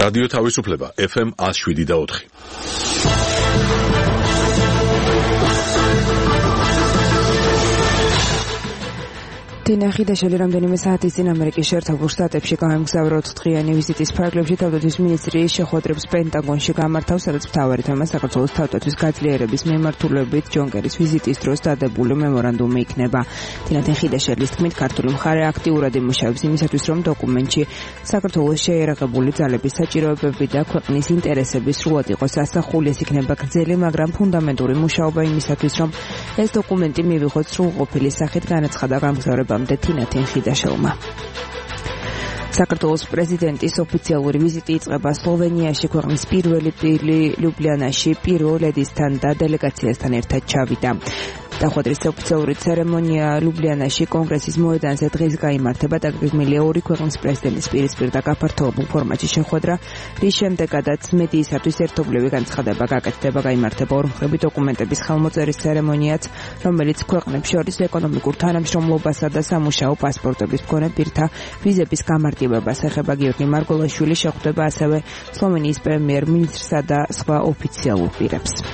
რადიო თავისუფლება FM 107.4. დინახიდაშელი რამდენიმე საათის წინ ამერიკის შეერთებულ შტატებში გაემგზავრა 4-დღიანი ვიზიტის ფარგლებში თავდაცვის მინისტრის შეხვედრებს პენტაგონში გამართავს, სადაც მთავარი თემა საქართველოს თავდაცვის გაძლიერების მიმართულებით ჯონ კერის ვიზიტის დროს დადებული მემორანდუმი იქნება. დინახიდაშელის თქმით, ქართული მხარე აქტიურად იმუშავებს იმისათვის, რომ დოკუმენტში საქართველოს შეიარაღებული ძალების საჭიროებები და ქვეყნის ინტერესები სრულად იყოს ასახული. ეს იქნება გრძელი, მაგრამ ფუნდამენტური მუშაობა იმისათვის, რომ ეს დოკუმენტი მივიღოთ სრულყოფილი სახით, განაცხადა გამგზავრება თინათინ ხიდაშელმა. საქართველოს პრეზიდენტის ოფიციალური ვიზიტი იწყება სლოვენიაში, ქვეყნის პირველი პირი ლიუბლიანაში პირველ ლედისთან და დელეგაციასთან ერთად ჩავიდა. დახვედრის ოფიციალური ცერემონია ლიუბლიანაში კონგრესის მოედანზე დღეს გაიმართება და გეგმილია ორი ქვეყნის პრეზიდენტის პირისპირ და გაფართოებულ ფორმატში შეხვედრა, რის შემდეგაც მედიისათვის ერთობლივი განცხადება გაკეთდება, გაიმართება ორმხრივი დოკუმენტების ხელმოწერის ცერემონიაც, რომელიც ქვეყნებს შორის ეკონომიკურ თანამშრომლობასა და სამუშაო პასპორტების მქონე პირთა ვიზების გამარტივებას ეხება. გიორგი მარგოლაშვილი შეხვდება ასევე სლოვენიის პრემიერ-მინისტრსა და სხვა ოფიციალურ პირებს.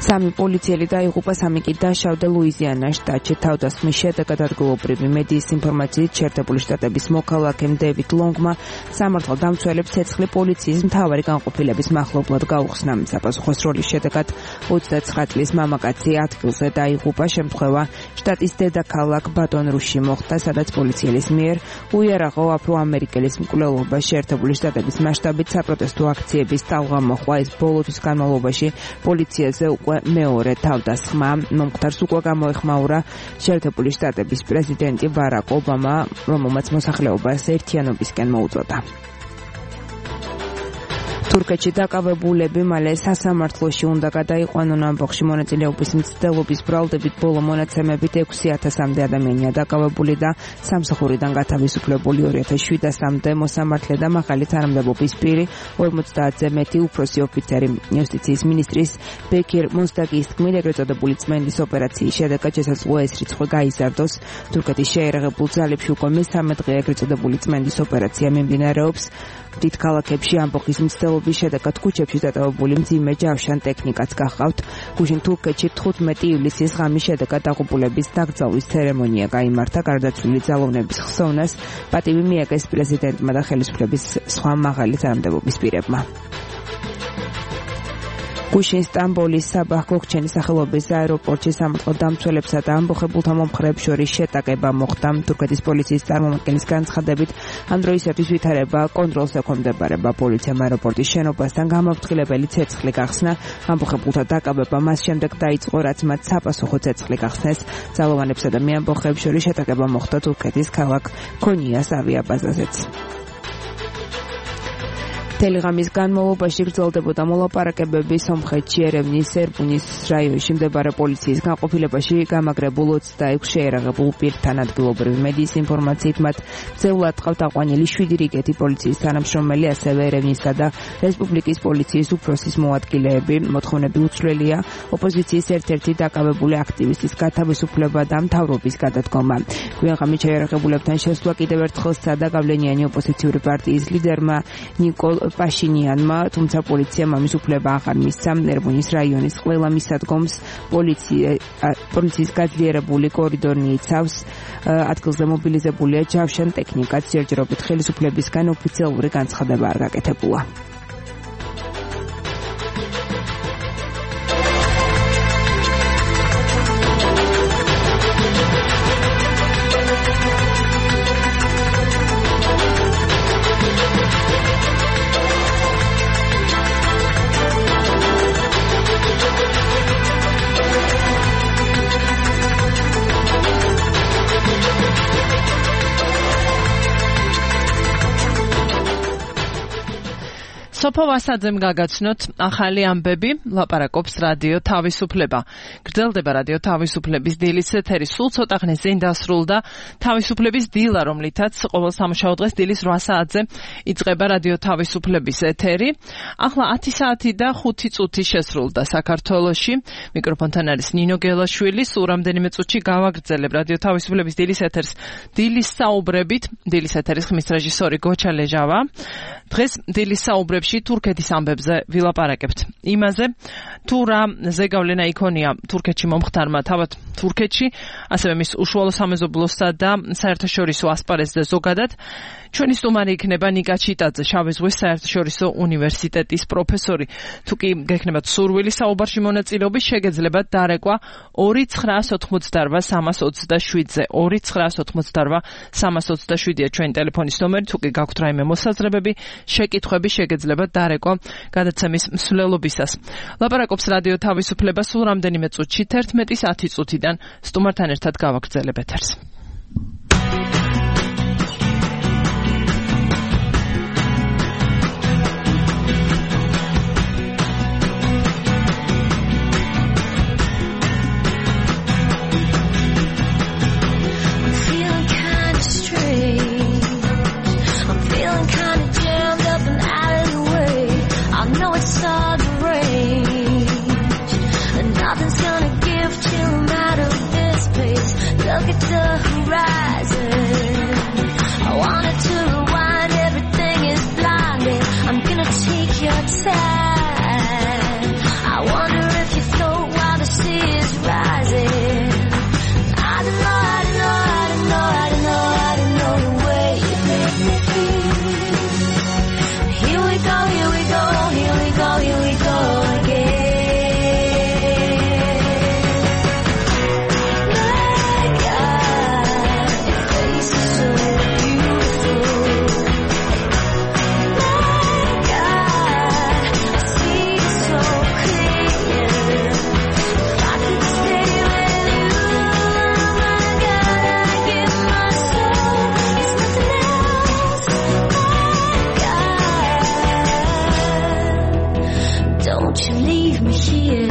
სამი პოლიციელი დაიღუპა, სამი კი დაშავდა ლუიზიანას შტატში. თავდასხმის შედეგად ადგილობრივი მედიის ინფორმაციით შეერთებული შტატების მოქალაქემ დევიდ ლონგმა სამართალდამცველებს ცეცხლი პოლიციის მთავარი განყოფილების მახლობლად გაუხსნა. საპასუხო სროლის შედეგად 29 წლის მამაკაცი ადგილზე დაიღუპა. შემთხვევა შტატის დედაქალაქ ბატონ-რუსში მოხდა, სადაც პოლიციელის მიერ უიარაღო აფრო-ამერიკელის მკვლელობა შეერთებული შტატების მასშტაბით საპროტესტო აქციების ტალღა მოხდა. ეს ბოლო თვის განმავლობაში პოლიციაზე მეორე თავდასხმა. მომხდარს უკვე გამოეხმაურა შეერთებული შტატების პრეზიდენტი ბარაკ ობამა, რომელმაც მოსახლეობას ერთიანობისკენ მოუწოდა. თურქეთში დაკავებულები მალე სასამართლოში უნდა გადაიყვანონ. ამბოხში მონაწილეობის მცდელობის ბრალდებით ბოლო მონაცემებით 6,000-მდე ადამიანია დაკავებული და სამსახურიდან გათავისუფლებული. 2007-მდე მოსამართლე და მაღალი თანამდებობის პირი 50-ზე მეტი უფროსი ოფიცერი. იუსტიციის მინისტრის ბეკირ მონსტაგის თქმით, ეგრეთ წოდებული წმენდის ოპერაციის შედეგად შესაძლოა ეს რიცხვი გაიზარდოს. თურქეთის შეიარაღებულ ძალებში უკვე მესამე დღე ეგრეთ წოდებული წმენდის ოპერაცია მიმდინარეობს. დიდ ქალაქებში ამბოხის მცდელობის შედეგად ქუჩებში დატოვებული მძიმე ჯავშან ტექნიკაც გახავთ. გუშინ თურქეთში 15 ივლისის ღამის შედეგად დაღუპულების დაკრძალვის ცერემონია გაიმართა. გარდაცვლილი ძალოვნების ხსოვნას პატივი მიაგეს პრეზიდენტმა და ხელისუფლების სხვა მაღალი თანამდებობის პირებმა. გუშინ სტამბოლის საბაჰ გოქჩენის სახელობის აეროპორტში სამართალდამცველებსა და ამბოხებულთა მომხრეებს შორის შეტაკება მოხდა. თურქეთის პოლიციის წარმომადგენლის განცხადებით, ამ დროისათვის ვითარება კონტროლს ექვემდებარება. პოლიციამ აეროპორტის შენობასთან გამაფრთხილებელი ცეცხლი გახსნა. ამბოხებულთა დაკავება მას შემდეგ დაიწყო, რაც მათ საპასუხო ცეცხლი გახსნეს. ძალოვანებსა და მეამბოხეებს შორის შეტაკება მოხდა თურქეთის ქალაქ ქონიას ავიაბაზაზეც. თელიღამის განმავლობაში გრძელდებოდა მოლაპარაკებები სომხეთში ერევნის ერბუნის რაიონში მდებარე პოლიციის განყოფილებაში გამაგრებულ 26 შეიარაღებულ პირთან. ადგილობრივი მედიის ინფორმაციით მათ ძეულად ყავთ აყვანილი 7 რიგეთი პოლიციის თანამშრომელი, ასევე ერევნისა და რესპუბლიკის პოლიციის უფროსის მოადგილეები. მოთხოვნები უცვლელია ოპოზიციის ერთ-ერთი დაკავებული აქტივისტის გათავისუფლება და მთავრობის გადადგომა. გვიანღამით შეიარაღებულებთან შესვლა კიდევ ერთხელ სცადა გავლენიანი ოპოზიციური პარტიის ლიდერმა ნიკოლ პაშინიანმა, თუმცა პოლიციამ ამის უფლება აღარ მისცა. ერბუნის რაიონის ყველა მისადგომს პოლიციის გაძლიერებული კორიდორი იცავს. ადგილზე მობილიზებულია ჯავშან ტექნიკაც. ჯერჯერობით ხელისუფლებისგან ოფიციალური განცხადება არ გაკეთებულა. სოფო ვასაძემ გაგაცნოთ ახალი ამბები, ლაპარაკობს რადიო თავისუფლება. გრძელდება რადიო თავისუფლების დილის ეთერი, სულ ცოტა ხნის წინ დასრულდა თავისუფლების დილა, რომლითაც ყოველ სამუშაო დღეს დილის 8 საათზე იწყება რადიო თავისუფლების ეთერი. ახლა 10 საათი და 5 წუთი შესრულდა საქართველოში. მიკროფონთან არის ნინო გელაშვილი. სულ რამდენიმე წუთში გავაგრძელებ რადიო თავისუფლების დილის ეთერს დილის საუბრებით. დილის ეთერის ხმის რეჟისორი გოჩა ლეჟავა. დღეს დილის საუბრებში თურქეთის ამბებზე ვილაპარაკებთ. იმაზე, თუ რა ზეგავლენა იქონია თურქეთში მომხდარმა თავად თურქეთში, ასევე მის უშუალო სამეზობლოსა და საერთაშორისო ასპარეზზე ზოგადად. ჩვენი სტუმარი იქნება ნიკა ჩიტაძე, შავი ზღვის საერთაშორისო უნივერსიტეტის პროფესორი. თუ კი გექნებათ სურვილი საუბარში მონაწილეობის, შეგეძლებათ დარეკვა 2988327-ზე. 2988327-ია ჩვენი ტელეფონის ნომერი. თუ კი გაქვთ რაიმე მოსაზრებები, შეკითხვები, შეგეძლებათ დარეკვა გადაცემის მსვლელობისას. ლაპარაკობს რადიო თავისუფლება სულ რამდენიმე წუთში 11-ის 10 წუთიდან სტუმართან ერთად გავაგრძელებ ეთერს. Look at the horizon. I wanted to rewind, everything is blinding. I'm gonna take your time. I wonder if you float while the sea is rising. I don't know the way you make me feel. Here we go again. Don't you leave me here.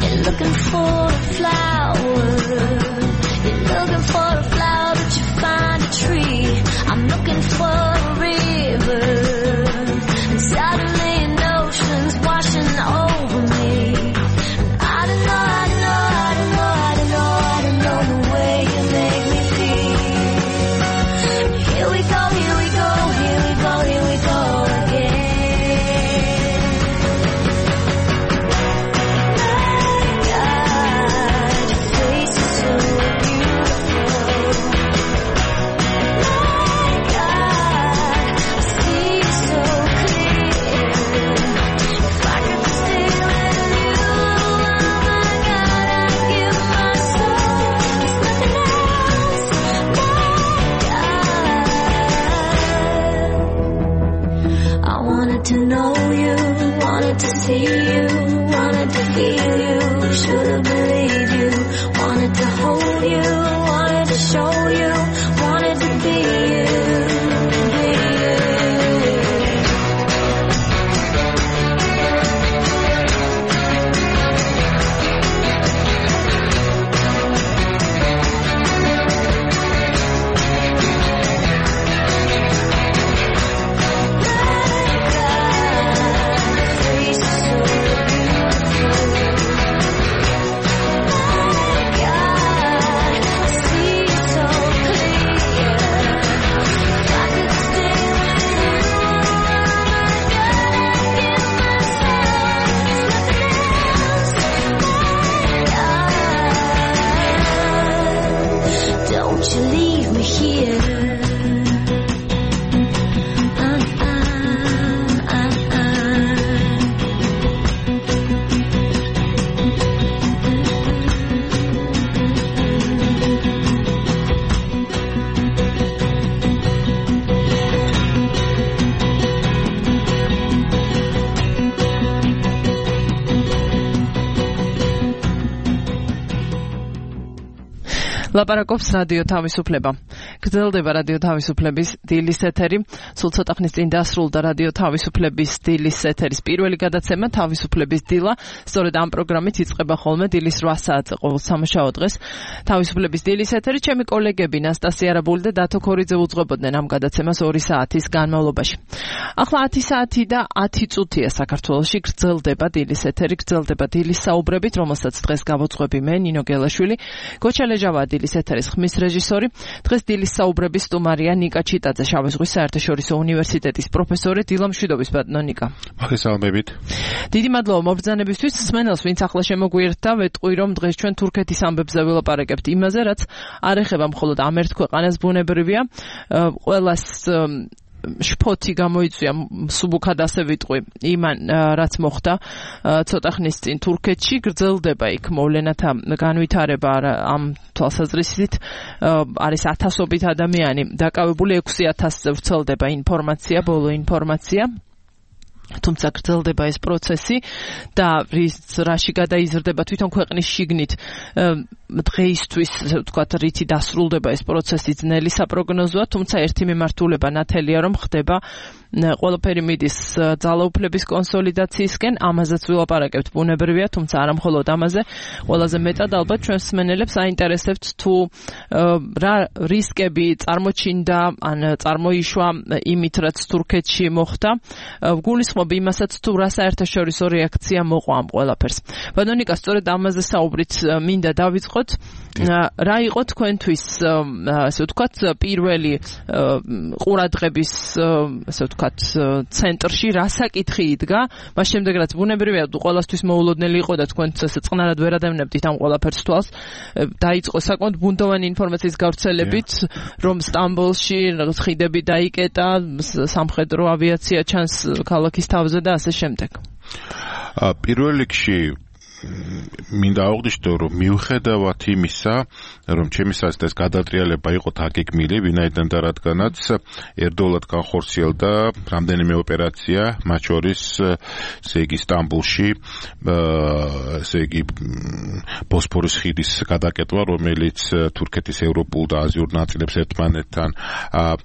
You're looking for a flower. You're looking for a flower, but you find a tree. I'm looking for a river, and suddenly an ocean's washing over me. I don't know the way you make me feel. Here we go again. My God, your face is so beautiful. My God, I see you so clear. If I could stay with you, oh my God, I'd give my soul. There's nothing else. I wanted to know you, wanted to see you, wanted to feel you, should've believed you, wanted to hold you, wanted to show you, wanted to be you. ლაპარაკობს რადიო თავისუფლება. გრძელდება რადიო თავისუფლების დილის ეთერი. სულ ცოტა ხნის წინ დასრულდა რადიო თავისუფლების დილის ეთერის პირველი გადაცემა თავისუფლების დილა. სწორედ ამ პროგრამით იწყება ხოლმე დილის 8 საათზე ყოველ სამშაბათ დღეს თავისუფლების დილის ეთერი. ჩემი კოლეგები ნასტასია არაბული და დათო ქორიძე უძღვებოდნენ ამ გადაცემას 2 საათის განმავლობაში. ახლა 10 საათი და 10 წუთია საქართველოში გრძელდება დილის ეთერი, გრძელდება დილის საუბრებით, რომელსაც დღეს გავუძღვები მე ნინო გელაშვილი. გოჩა ლეჟავა დილის ეთერის ხმის რეჟისორი. დღეს დილის საუბრების სტუმარია ნიკა ჩიტაძე, შავი ზღვის საერთაშორისო უნივერსიტეტის პროფესორი. დილამშვიდობის ბატონო ნიკა. მოგესალმებით. დიდი მადლობა მობრძანებისთვის. მსმენელს, ვინც ახლა შემოგვიერთდა, ვეტყვი რომ დღეს ჩვენ თურქეთის ამბებზე ვილაპარაკებთ იმაზე, რაც არ ეხება მხოლოდ ამ ერთ ქვეყანას, ბუნებრივია. ყველას შფოთი გამოიწვია, სუბუქად ასე ვიტყვი, იმან რაც მოხდა ცოტა ხნის წინ თურქეთში. გრძელდება იქ მოვლენათა განვითარება ამ თვალსაზრისით. არის ათასობით ადამიანი დაკავებული, 6,000-ზე ვრცელდება ინფორმაცია, ბოლო ინფორმაცია. თუმცა გრძელდება ეს პროცესი და რაში გადაიზრდება თვითონ ქვეყნის შიგნით დღეისთვის, ასე ვთქვათ, რითი დასრულდება ეს პროცესი ძნელი საპროგნოზოა, თუმცა ერთი მიმართულება ნათელია, რომ ხდება ყველაფერი მიდის ძალაუფლების კონსოლიდაციისკენ. ამაზეც ვილაპარაკებთ, ბუნებრივია, თუმცა არა მხოლოდ ამაზე. ყველაზე მეტად ალბათ ჩვენს მსმენელებს აინტერესებთ თუ რა რისკები წარმოჩინდა ან წარმოიშვა იმით, რაც თურქეთში მოხდა. გულისხმობ იმასაც თუ რა საერთაშორისო რეაქცია მოყვა ამ ყველაფერს. ბატონო ნიკა, სწორედ ამაზე საუბრით მინდა დავიწყოთ. რა იყო თქვენთვის, ასე ვთქვათ, პირველი ყურადღების, ასე ვთქვათ, ცენტრში რა საკითხი იდგა, მას შემდეგ რაც ბუნებრივია ყველასთვის მოულოდნელი იყო და თქვენც ესე წყნარად ვერ ადევნებდით ამ ყველაფერს თვალს. დაიწყო საკმაოდ ბუნდოვანი ინფორმაციის გავრცელებით, რომ სტამბოლში ხიდები დაიკეტა, სამხედრო ავიაცია ჩანს ქალაქის თავზე და ასე შემდეგ. პირველ რიგში მინდა აღვნიშნო, რომ მიუხედავად იმისა, რომ ჩემი საზრით ეს გადატრიალება იყო თაგეგმილი, ვინაიდან და რადგანაც ერთდროულად განხორციელდა რამდენიმე ოპერაცია, მათ შორის ესე იგი სტამბოლში, ესე იგი ბოსფორის ხიდის გადაკეტვა, რომელიც თურქეთის ევროპულ და აზიურ ნაწილებს ერთმანეთთან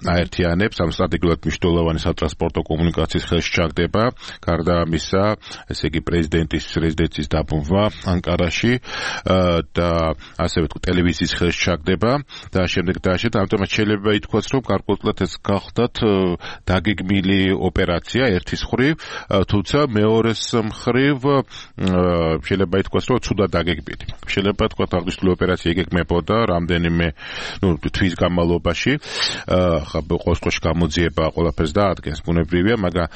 აერთიანებს, ამ სტრატეგიულად მნიშვნელოვანი სატრანსპორტო კომუნიკაციის ხელში ჩაგდება. გარდა ამისა, ესე იგი პრეზიდენტის რეზიდენციის დაბრუნვა ანკარაში და ასევე ტელევიზიის ხელში ჩაგდება და შემდეგ დააშეთ. ამიტომ შეიძლება ითქვას, რომ გარკვეულად ეს გახდათ დაგეგმილი ოპერაცია ერთის მხრივ, თუმცა მეორეს მხრივ შეიძლება ითქვას, რომ ცუდად დაგეგმილი. შეიძლება თქვათ აღნიშნული ოპერაცია იგეგმებოდა რამდენიმე თვის განმავლობაში, ყოველდღიურში გამოძიება ყველაფერს დაადგენს, ბუნებრივია, მაგრამ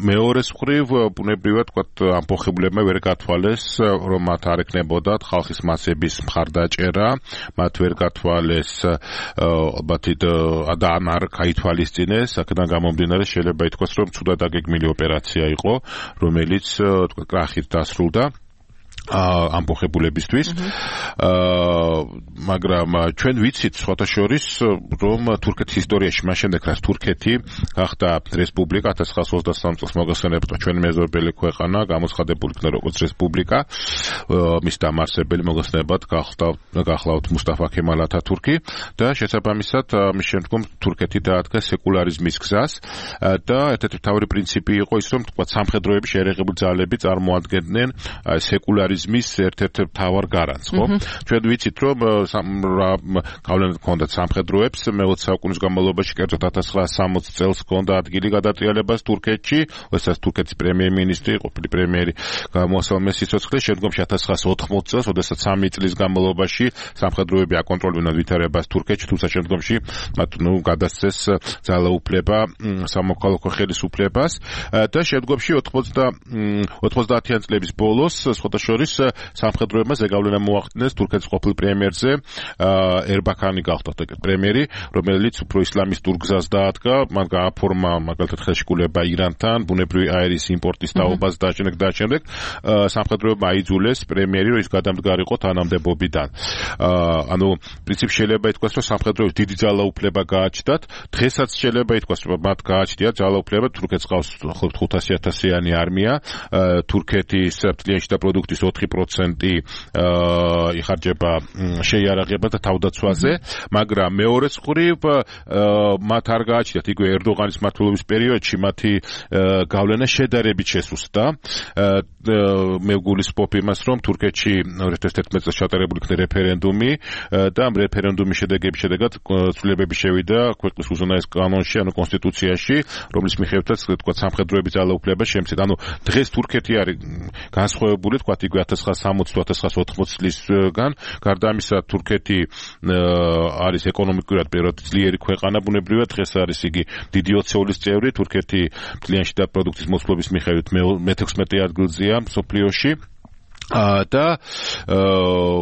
მეორეს მხრივ ბუნებრივია თქვათ ამბოხებულებმა ვერ გათვალეს, რომ მათ არ ეკნებოდათ ხალხის მასების მხარდაჭერა, მათ ვერ გათვალეს ალბათ და არ გაითვალისწინეს, აქედან გამომდინარე შეიძლება ითქვას, რომ ცუდად დაგეგმილი ოპერაცია იყო, რომელიც თქვა კრახით დასრულდა ამბოხებულებისთვის. მაგრამ ჩვენ ვიცით სხვათა შორის, რომ თურქეთის ისტორიაში მას შემდეგ რაც თურქეთი გახდა რესპუბლიკა 1923 წელს მოგესალმებით, ჩვენ მეზობელი ქვეყანა გამოცხადებული იქნა როგორც რესპუბლიკა, მის დამარსებელი მოგესალმებით გახლავთ მუსტაფა ქემალ ათათურქი და შესაბამისად მის შემდგომ თურქეთი დაადგა სეკულარიზმის გზას და ერთ-ერთი მთავარი პრინციპი იყო ის, რომ თქვა სამხედროების შეერაღებული ძალები წარმოადგენდნენ სეკულარიზმის ერთ-ერთ მთავარ გარანტს, ხო? ჩვენ ვიცით, რომ გავლენა ჰქონდათ სამხედროებს მე-20 საუკუნის განმავლობაში, კერძოდ 1960 წელს ჰქონდა ადგილი გადატრიალებას თურქეთში, როდესაც თურქეთის პრემიერ-მინისტრი, ყოფილი პრემიერი გამოასალმეს სიცოცხლე, შემდგომში 1980 წელს, როდესაც 3 წლის განმავლობაში სამხედროები აკონტროლებდნენ ვითარებას თურქეთში, თუმცა შემდგომში მათ გადასცეს ძალაუფლება სამოქალაქო ხელისუფლებას და შემდგომში 90-იან წლების ბოლოს სხვათა შორის სამხედროებმა ზეგავლენა მოახდინეს თურქეთის ყოფილ პრემიერზე ერბაქანი გახდა პრემიერი, რომელიც უფრო ისლამისტურ გზას დაადგა, მან გააფორმა მაგალითად ხელშეკრულება ირანთან, ბუნებრივი აირის იმპორტის თაობას და შემდეგ სამხედროებმა აიძულეს პრემიერი, რომ ის გადამდგარიყო თანამდებობიდან. ანუ პრინციპში შეიძლება ითქვას, რომ სამხედროებს დიდი ძალაუფლება გააჩნდათ, დღესაც შეიძლება ითქვას, რომ მათ გააჩნდათ ძალაუფლება, თურქეთს ყავს 500,000-იანი არმია, თურქეთის წლიანში და პროდუქტის 4% იხარჯება შეიარაღება და თავდაცვაზე, მაგრამ მეორე მხრივ მათ არ გააჩნიათ იგივე ერდოღანის მმართველობის პერიოდში მათი გავლენა შედარებით შესუსტდა. მე ვგულისხმობ იმას, რომ თურქეთში 2011 წელს ჩატარებული იქნა რეფერენდუმი და ამ რეფერენდუმის შედეგების შედეგად ცვლილებები შევიდა ქვეყნის უზენაეს კანონში, ანუ კონსტიტუციაში, რომლის მიხედვითაც თქვა სამხედროების ძალაუფლება შემცირდა. ანუ დღეს თურქეთი არის განსხვავებული, თქვა იგივე 1960-1980 წლისგან. გარდა ამისა, თურქეთი არის ეკონომიკურად პირველად ძლიერი ქვეყანა, ბუნებრივად დღეს არის იგი დიდი ოცეულის წევრი. თურქეთი ძალიან შიდა პროდუქტის მოსვლობის მიხედვით მე-16 ადგილზეა მსოფლიოში. და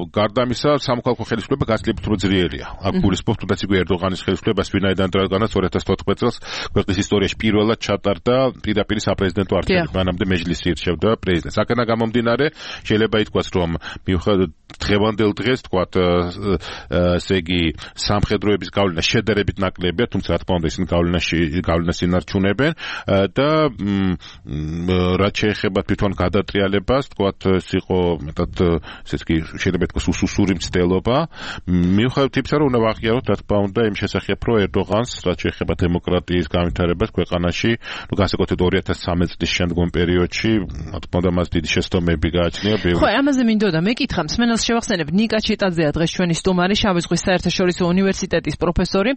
გარდა ამისა, სამოქალაქო ხელისუფლება გაცილებით უფრო ძლიერია. აქ გულისხმობ თუნდაც იგივე ერდოღანის ხელისუფლებას, ვინაიდან რადგანაც 2014 წელს ქვეყნის ისტორიაში პირველად ჩატარდა პირდაპირ საპრეზიდენტო არჩევნები, მანამდე მეჯლისი ირჩევდა პრეზიდენტს. აქედან გამომდინარე, შეიძლება ითქვას, რომ მიუხედავად დღევანდელ დღეს, თქვათ, ესე იგი, სამხედროების გავლენა შედარებით ნაკლებია, თუმცა რა თქმა უნდა ისინი გავლენას ინარჩუნებენ და რაც შეეხება თვითონ გადატრიალებას, თქვათ, იყო მეტად ესე იგი შეიძლება ითქვას უსუსური მცდელობა. მიუხედავად იმისა, რომ უნდა ვაღიაროთ, რა თქმა უნდა, იმ შესახებ, რომ ერდოღანს რაც შეეხება დემოკრატიის განვითარებას ქვეყანაში, განსაკუთრებით 2013 წლის შემდგომ პერიოდში, რა თქმა უნდა, მას დიდი შეცდომები გააჩნია. ხო, ამაზე მინდოდა მეკითხა, მსმენელს შევახსენებ, ნიკა ჩიტაძეა დღეს ჩვენი სტუმარი, შავი ზღვის საერთაშორისო უნივერსიტეტის პროფესორი.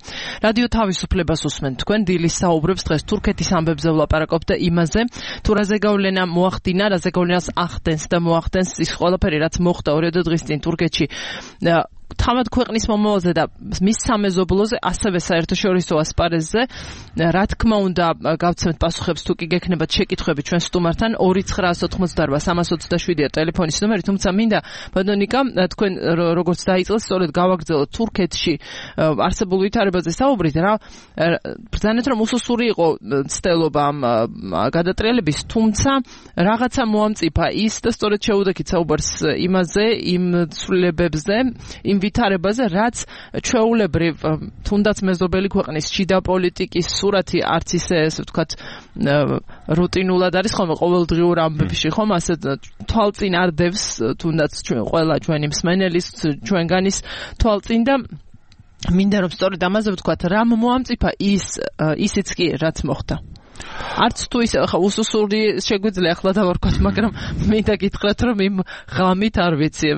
რადიო თავისუფლებას უსმენთ თქვენ, დილის საუბრებს დღეს თურქეთის ამბებზე ვლაპარაკობთ და იმაზე, თუ რაზე გავლენა მოახდინა, რაზე გავლენას ახდენს და მოახდენს ის ყველაფერი, რაც მოხდა 2 დღის წინ თურქეთში. თავად ქვეყნის მომავალზე და მის სამეზობლოზე, ასევე საერთაშორისო ასპარეზზე, რა თქმა უნდა, გავცემთ პასუხებს თუ კი გექნებათ შეკითხვები ჩვენ სტუმართან 2988327-ია ტელეფონის ნომერი, თუმცა მინდა ბატონიკა, თქვენ როგორც დაიწყეთ, სწორედ გავაგრძელოთ თურქეთში არსებულ ვითარებაზე საუბრით, რა ბრძანეთ, რომ უსუსური იყო ცდელობა ამ გადატრიალების, თუმცა რაღაცა მოამწიფა ის და სწორედ შეუდექით საუბარს იმაზე, იმ ცვლილებებზე, იმ ვითარებაზე, რაც ჩვეულებრივ თუნდაც მეზობელი ქვეყნის შიდა პოლიტიკის სურათი არც ისე, ესე ვთქვათ, რუტინულად არის ხოლმე ყოველდღიურ ამბებში, ხომ, ასე თვალწინ არ დევს თუნდაც ყველა ჩვენი მსმენელის, ჩვენგანის თვალწინ და მინდა რომ სწორედ ამაზე ვთქვათ, რამ მოამწიფა ისიც კი რაც მოხდა. არც თუ ის ხა უსუსური შეგვიძლია ახლა დავარქვათ, მაგრამ მინდა გითხრათ, რომ იმ ღამით არ ვიცი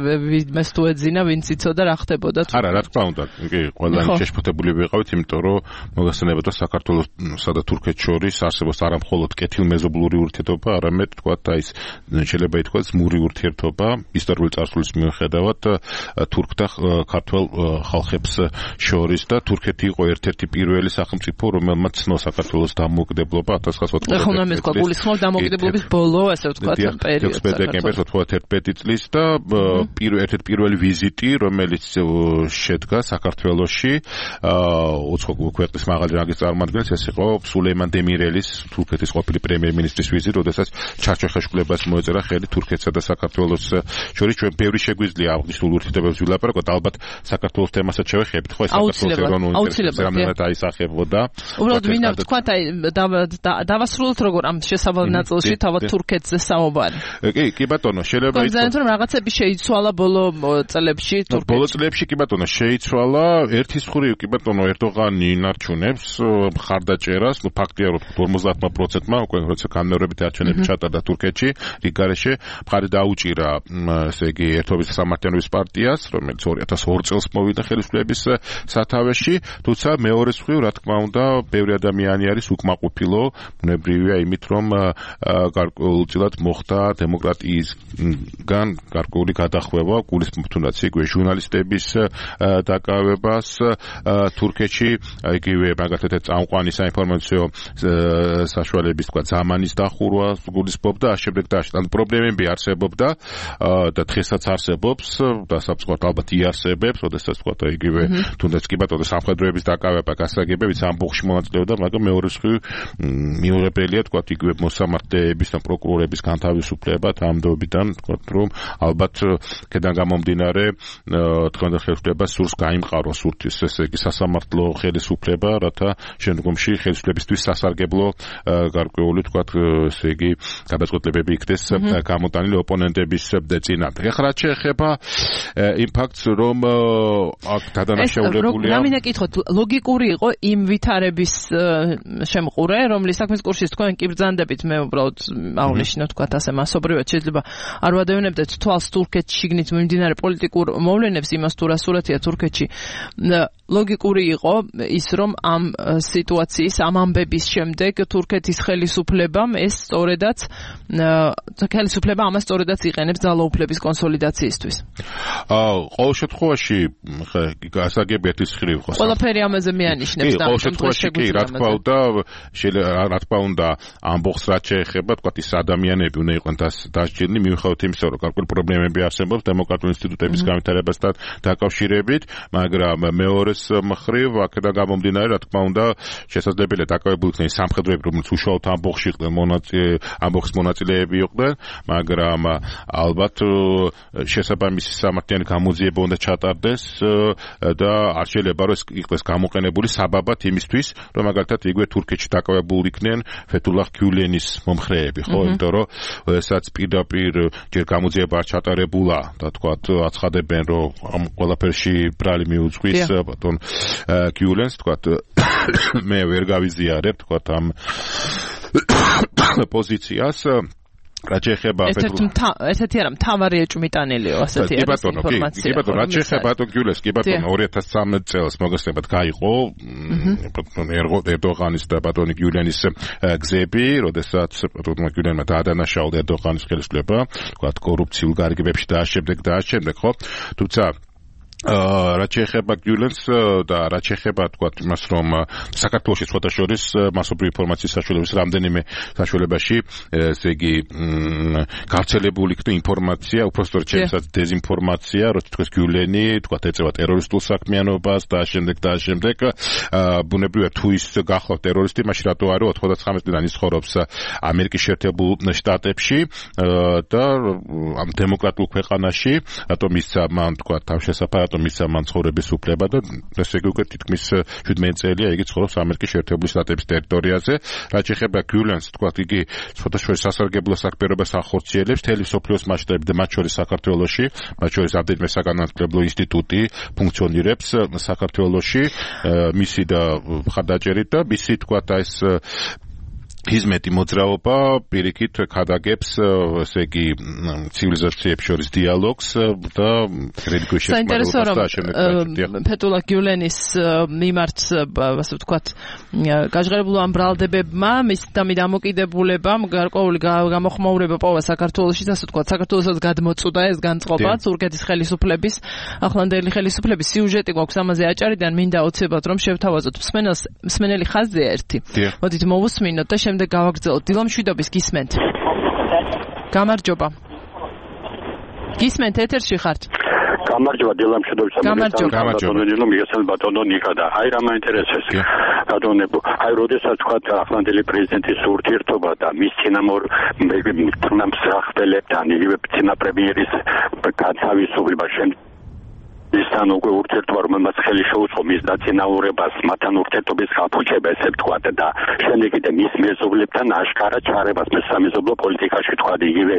მეს თუ ეძინა, ვინც იცოდა რა ხდებოდა. არა, რა თქმა უნდა, კი, ყველანი შეშფოთებული ვიყავით, იმიტომ რომ მოგახსენებოდა საქართველოსა და თურქეთს შორის არსებობს არა მხოლოდ კეთილმეზობლური ურთიერთობა, არამედ თქვათ აი ეს შეიძლება ითქვას მური ურთიერთობა ისტორიული წარსულის მიუხედავად თურქ და ქართველ ხალხებს შორის და თურქეთი იყო ერთ-ერთი პირველი სახელმწიფო, რომელმაც ცნო საქართველოს დამოუკიდებლობა 1991 დამოუკიდებლობის ბოლო, ასე ვთქვათ, პერიოდს. 16 დეკემბერს 91 წლის და ერთ-ერთი პირველი ვიზიტი, რომელიც შედგა საქართველოში, ქვეყნის მაღალი რანგის წარმომადგენელს, ეს იყო სულეიმან დემირელის, თურქეთის ყოფილი პრემიერ-მინისტრის ვიზიტი, როდესაც ჩარჩოხაშვილებას მოეწერა ხელი თურქეთსა და საქართველოს შორის. ჩვენ ბევრი შეგვიძლია აღნიშნულ ურთიერთობებს ვილაპარაკოთ, ალბათ საქართველოს თემასაც შევეხებით, ხო, ეს საქართველოს ეროვნულ ინტერესებს რამდენად აისახებოდა. უბრალოდ მინდა ვთქვათ, აი დავასრულოთ როგორ ამ შესაბამის ნაწილში თავად თურქეთზე საუბარი. კი ბატონო, შეიძლება იცოდეთ რომ რაღაცები შეიცვალა ბოლო წლებში თურქეთში. ბოლო წლებში კი ბატონო შეიცვალა, ერთის მხრივ კი ბატონო ერდოღანი ინარჩუნებს მხარდაჭერას, ნუ ფაქტია რომ 50%-მა უკვე როცა განმეორებით არჩევნები ჩატარდა თურქეთში, რიგარეშე მხარი დაუჭირა, ესე იგი ერთობის სამართლიანობის პარტიას, რომელიც 2002 წელს მოვიდა ხელისუფლების სათავეში, თუმცა მეორე მხრივ რა თქმა უნდა, ბევრი ადამიანი არის უკმაყოფილო, ბუნებრივია იმით, რომ გარკვეულწილად მოხდა დემოკრატიისგან გარკვეული გადახვევა, გულისხმობ თუნდაც იგივე ჟურნალისტების დაკავებას თურქეთში, იგივე მაგალითად წამყვანი საინფორმაციო საშუალებების თქვა ზამანის დახურვა გულისხმობ და შემდეგ და ამ პრობლემები არსებობდა და დღესაც არსებობს და საფრთხოდ ალბათ იარსებებს, როდესაც თქვა იგივე თუნდაც კი ბატონო სამხედროების დაკავება გასაგებებიც ამბოხში მონაწილეობდა, მაგრამ მეორე მხრივ მიუღებელია თქვა იგივე მოსამართლეების და პროკურორების განთავისუფლება თამდობიდან თქვა რომ ალბათ კედან გამომდინარე თქვენდა ხელისუფლებას სურს გაიმყაროს ურთის ესე იგი სასამართლო ხელისუფლება რათა შემდგომში ხელისუფლებისთვის სასარგებლო გარკვეული თქვა ესე იგი გადაწყვეტილებები იქნეს გამოტანილი ოპონენტების წინააღმდეგ. ეხლა რაც შეეხება იმ ფაქტს რომ აქ დადანაშაულებულია რა მინდა კითხოთ ლოგიკური იყო იმ ვითარების შემყურე რომლის საქმის კურსის თქვენ კი ბრძანდებით მე უბრალოდ აღნიშნოთ თქვა ასე მასობრივად შეიძლება არ ვადევნებდეთ თვალს თურქეთში შიგნით მიმდინარე პოლიტიკურ მოვლენებს იმას თუ რა სურათია თურქეთში ლოგიკური იყო ის რომ ამ სიტუაციის ამ ამბების შემდეგ თურქეთის ხელისუფლებამ ეს სწორედაც ხელისუფლება ამას სწორედაც იყენებს ძალაუფლების კონსოლიდაციისთვის. ყოველ შემთხვევაში გასაგებია ის ხრივ ხო ყველაფერი ამაზე მეანიშნებს და ყოველ შემთხვევაში კი რა თქმა უნდა ამბობს რაც შეეხება თქვა ის ადამიანები უნდა იყვნენ დასჯილნი მიუხედავად იმისა რომ გარკვეული პრობლემები არსებობს დემოკრატიული ინსტიტუტების განვითარებასთან დაკავშირებით მაგრამ მეორეს მხრივ აქედან გამომდინარე რა თქმა უნდა შესაძლებელია დაკავებული იქნეს სამხედროები რომელიც უშუალოდ ამბოხში იყვნენ ამბოხის მონაწილეები იყვნენ მაგრამ ალბათ შესაბამისი სამართლიანი გამოძიება უნდა ჩატარდეს და არ შეიძლება რომ იყოს გამოყენებული საბაბად იმისთვის რომ მაგალითად იგივე თურქეთში დაკავებული იქნენ ფეთულაჰ გიულენის მომხრეები ხო იმიტომ რომ ესაც პირდაპირ ჯერ გამოძიება არ ჩატარებულა და თქვათ აცხადებენ რომ ამ ყველაფერში ბრალი მიუძღვის ბატონ გიულენს თქვათ მე ვერ გავიზიარებ თქვათ ამ პოზიციას რაც შეეხება ესეთი არა მთავარი ეჭვმიტანილიო ასეთი ინფორმაცია. კი ბატონო, რაც შეეხება ბატონ გიულენს, კი ბატონო 2013 წელს მოგესწრებათ გაიყო ერდოღანის და ბატონ გიულენის გზები, როდესაც ბატონ გიულენმა დაადანაშაულა ერდოღანის ხელისუფლება, თქვათ კორუფციულ გარიგებებში და ამავდროულად, ხო? თუმცა რაც შეეხება გიულენს და რაც შეეხება თქვა იმას რომ საქართველოში სხვათა შორის მასობრივი ინფორმაციის საშუალების რამდენიმე საშუალებაში ესე იგი გავრცელებული იქნა ინფორმაცია უბრალოდ ჩემსაც დეზინფორმაცია რომ თქვენ გიულენი თქვა ეწევა ტერორისტულ საქმიანობას და შემდეგ ბუნებრივია თუ ის გახლავთ ტერორისტი მაშინ რატო არა 99 წლიდან ის ცხოვრობს ამერიკის შეერთებულ შტატებში და ამ დემოკრატიულ ქვეყანაში რატომ ისცა მან თქვა თავშესაფარად მისცა მან ცხოვრების უფლება და ესე იგი უკვე თითქმის 17 წელია იგი ცხოვრობს ამერიკის შეერთებული შტატების ტერიტორიაზე. რაც შეეხება გიულენს, თქვა იგი სხვადასხვა სასარგებლო საქმიანობას ახორციელებს მთელი სოფლიოს მასშტაბით და მათ შორის საქართველოში, მათ შორის ამდენიმე საგანმანათლებლო ინსტიტუტი ფუნქციონირებს საქართველოში, მისი და მხარდაჭერით და მისი თქვა ეს ჰიზმეტი მოძრაობა პირიქით ქადაგებს ესე იგი ცივილიზაციებს შორის დიალოგს და რელიგიურ შექმნას ფეთულაჰ გიულენის მიმართ ასე ვთქვათ გაჟღერებულ ამ ბრალდებებმა მის დამოკიდებულებამ გარკვეული გამოხმაურება პოვა საქართველოში და ასე ვთქვათ საქართველოსაც გადმოწუდა ეს განწყობა თურქეთის ხელისუფლების ახლანდელი ხელისუფლების სიუჟეტი გვაქვს ამაზე აჭარიდან მინდა ოცებათ რომ შევთავაზოთ მსმენელი ხაზია ერთი მოდით მოვუსმინოთ და შემდეგ გავაგრძელოთ. დილამშვიდობის გისმენთ. გამარჯობა. გისმენთ ეთერში ხართ. გამარჯობა დილამშვიდობის. გამარჯობა. მიგესალმებით ბატონო ნიკა და აი რა მაინტერესებს. ბატონებო, აი როდესაც თქვა ახლანდელი პრეზიდენტის ურთიერთობა და მის წინამორბედთან იგივე წინაპრემიერის განთავისუფლება ისთან უკვე ურთიერთობა რომელმაც ხელი შეუწყო მის დაწინაურებას მათთან ურთიერთობის გაფუჭება ესე ვთქვათ და შემდეგ კიდე მის მეზობლებთან აშკარა ჩარებას მესამეზობლო პოლიტიკაში ვთქვათ იგივე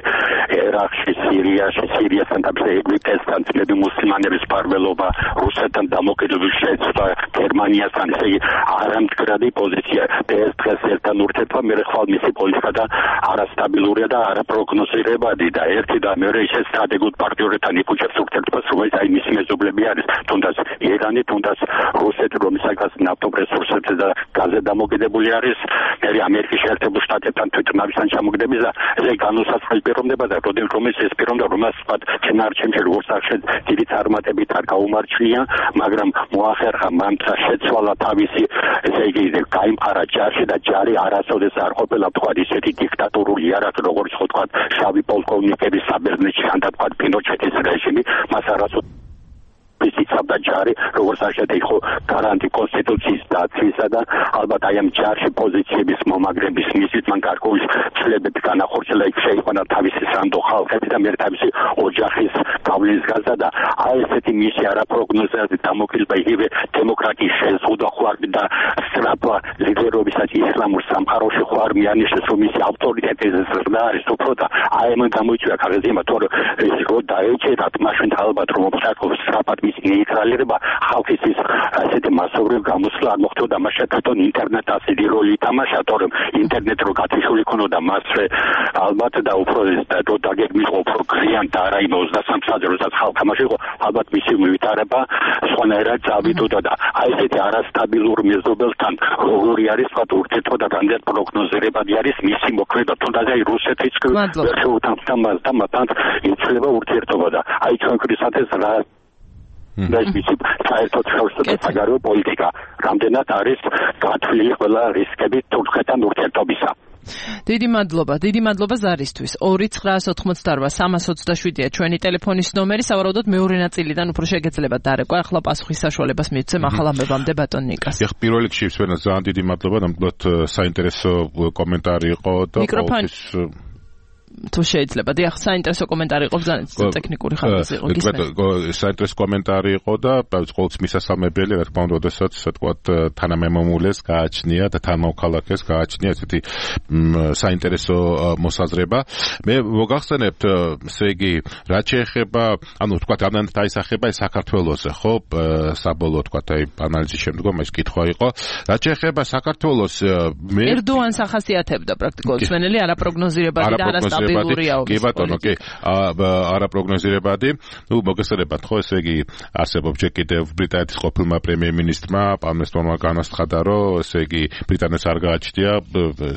ერაყში სირიასთან და ეგვიპტესთან ძმები მუსლიმანების მფარველობა რუსეთთან დამოკიდებული შეცვლა გერმანიასთან ესე იგი არამდგრადი პოზიცია ეს დღეს ერთთან ურთიერთობა მე ხვალ მისი პოლიტიკა და არასტაბილურია და არაპროგნოზირებადი და ერთი და მეორე ისე სტრატეგიულ პარტნიორებთან იფუჭებს ურთიერთობას რომელიც აი მისი მეზობლები არის თუნდაც ირანი თუნდაც რუსეთი რომელსაც ნავთობრესურსებზე და გაზზე დამოკიდებული არის მე ამერიკის შეერთებულ შტატებთან თვითმფრინავისთან ჩამოგდების და ესე განუსაზღვრელი პიროვნება და რომელიც ეს პიროვნება რომელსაც ვთქვათ ჩენარჩემში როგორც ახშეთ დიდი წარმატებით არ გაუმარჩვია მაგრამ მოახერხა მამცა შეცვალა თავისი ესე იგი გაიმყარა ჯარში და ჯარი არასოდეს არ ყოფილა ვთქვათ ისეთი დიქტატურული იარაღი როგორც ხო ვთქვათ შავი პოლკოვნიკების საბერძნეთში ან თქვათ პინოჩეთის რეჟიმი მას არასოდეს იცავდა ჯარი, როგორც აღშეთ იყო გარანტი კონსტიტუციის დაცვისა და ალბათ აი ამ ჯარში პოზიციების მომაგრების მისით მან გარკვეული ცვლილებები განახორციელა, იქ შეიყვანა თავისი სანდო ხალხები და მე თავისი ოჯახის გავლენის გაზა და აი ესეთი მისი არაპროგნოზირებული დამოკიდება იგივე დემოკრატიის შეზღუდვა ხوار და სწრაფვა ლიდერობისაც ისლამურ სამყაროში ხوار მიანიშნეს რომ მისი ავტორიტეტი ზრდა არის უფრო და აი მან გამოიწვია ქაღალდი თორე ეს რო დაეჭერათ მაშინ ალბათ რომ ოფიციალურად სწრაფად მისი ნეიტრალირება ხალხის ის ასეთი მასობრივ გამოსვლა არ მოხდებოდა მაშინ თვითონ ინტერნეტ ასეთი როლი ითამაშა თორემ ინტერნეტ რო გათიშული ქონოდა მასვე ალბათ და უფრო და დაგეგმილიყო უფრო გრიან და არა იმ 23 საათზე როდესაც ხალხ ამაში იყო ალბათ მისი ვითარება სხვანაირად წავიდოდა და აი ესეთი არასტაბილურ მეზობელთან როგორი არის თქვა ურთიერთობა და რამდენად პროგნოზირებადი არის მისი მოქმედება თუნდაც აი რუსეთიც შეუთანხმდა და მათთან იცვლება ურთიერთობა და აი ჩვენქრისათვის რა და ის საერთოდ ხელშეუხებელი საგარეო პოლიტიკა რამდენად არის გათვლილი ყველა რისკები თურქეთთან ურთიერთობისა. დიდი მადლობა ზარისთვის. 2-988-327-ია ჩვენი ტელეფონის ნომერი. სავარაუდოდ მეორე ნაწილიდან უფრო შეგეძლება დარეკვა. ახლა პასუხის საშუალებას მივცემ ახალ ამბებამდე ბატონ ნიკას. ეხლა პირველ რიგში ვსვენა ძალიან დიდი მადლობა, ნამდვილად საინტერესო კომენტარი იყო და თუ შეიძლება დიახ საინტერესო კომენტარი იყო ძალიან ტექნიკური ხარისხის იყო გისმენთ საინტერესო კომენტარი იყო და ყოველთვის მისასალმებელი რა თქმა უნდა როდესაც თქვათ თანამემამულეს გააჩნია და თანამოქალაქეს გააჩნია ესეთი საინტერესო მოსაზრება მე მოგახსენებთ ესე იგი რაც შეეხება ანუ თქვათ რამდენად დაისახება ეს საქართველოსზე ხო საბოლოო თქვათ აი ანალიზის შემდგომ ეს კითხვა იყო რაც შეეხება საქართველოს მე ერდოანს ახასიათებდა პრაქტიკულად სვენელი არაპროგნოზირებადი და არასტაბილურია კი ბატონო კი არაპროგნოზირებადი ნუ მოგესწრებათ ხო ესე იგი არსებობს ჯერ კიდევ ბრიტანეთის ყოფილმა პრემიერ-მინისტრმა პალმერსტონმა განაცხადა რომ ესე იგი ბრიტანეთს არ გააჩნია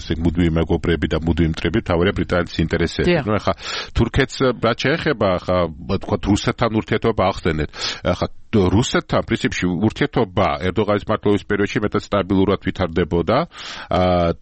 ესე მუდმივი მეგობრები და მუდმივი მტრები თავარია ბრიტანეთის ინტერესები ნუ ეხლა თურქეთს რაც შეეხება ხა თქვა რუსეთთან ურთიერთობა ახსენეთ ხა რუსეთთან პრინციპში ურთიერთობა ერდოღანის მმართველობის პერიოდში მეტად სტაბილურად ვითარდებოდა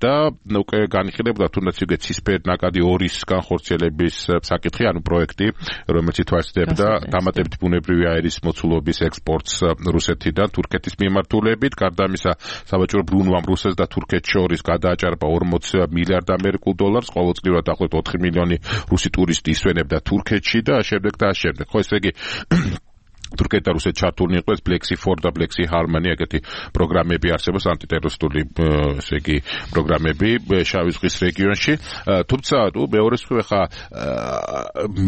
და უკვე განიხილებოდა თუნდაც იგივე ცისფერნაკადი ორის განხორციელების საკითხი, ანუ პროექტი, რომელიც ითვალისწინებდა დამატებით ბუნებრივი აირის მოცულობის ექსპორტს რუსეთიდან თურქეთის მიმართულებით, გარდა ამისა სავაჭრო ბრუნვამ რუსეთს და თურქეთს შორის გადააჭარბა 40 მილიარდ ამერიკულ დოლარს, ყოველწლიურად დაახლოებით 4 მილიონი რუსი ტურისტი ისვენებდა თურქეთში და შემდეგ. ხო ესე იგი თურქეთი და რუსეთი ჩართულნი იყო ეს Black Sea 4 და Black Sea Harmony ეგეთი პროგრამები არსებობს ანტიტერორისტული ესე იგი პროგრამები შავი ზღვის რეგიონში თუმცა მეორეს მხრივ ხა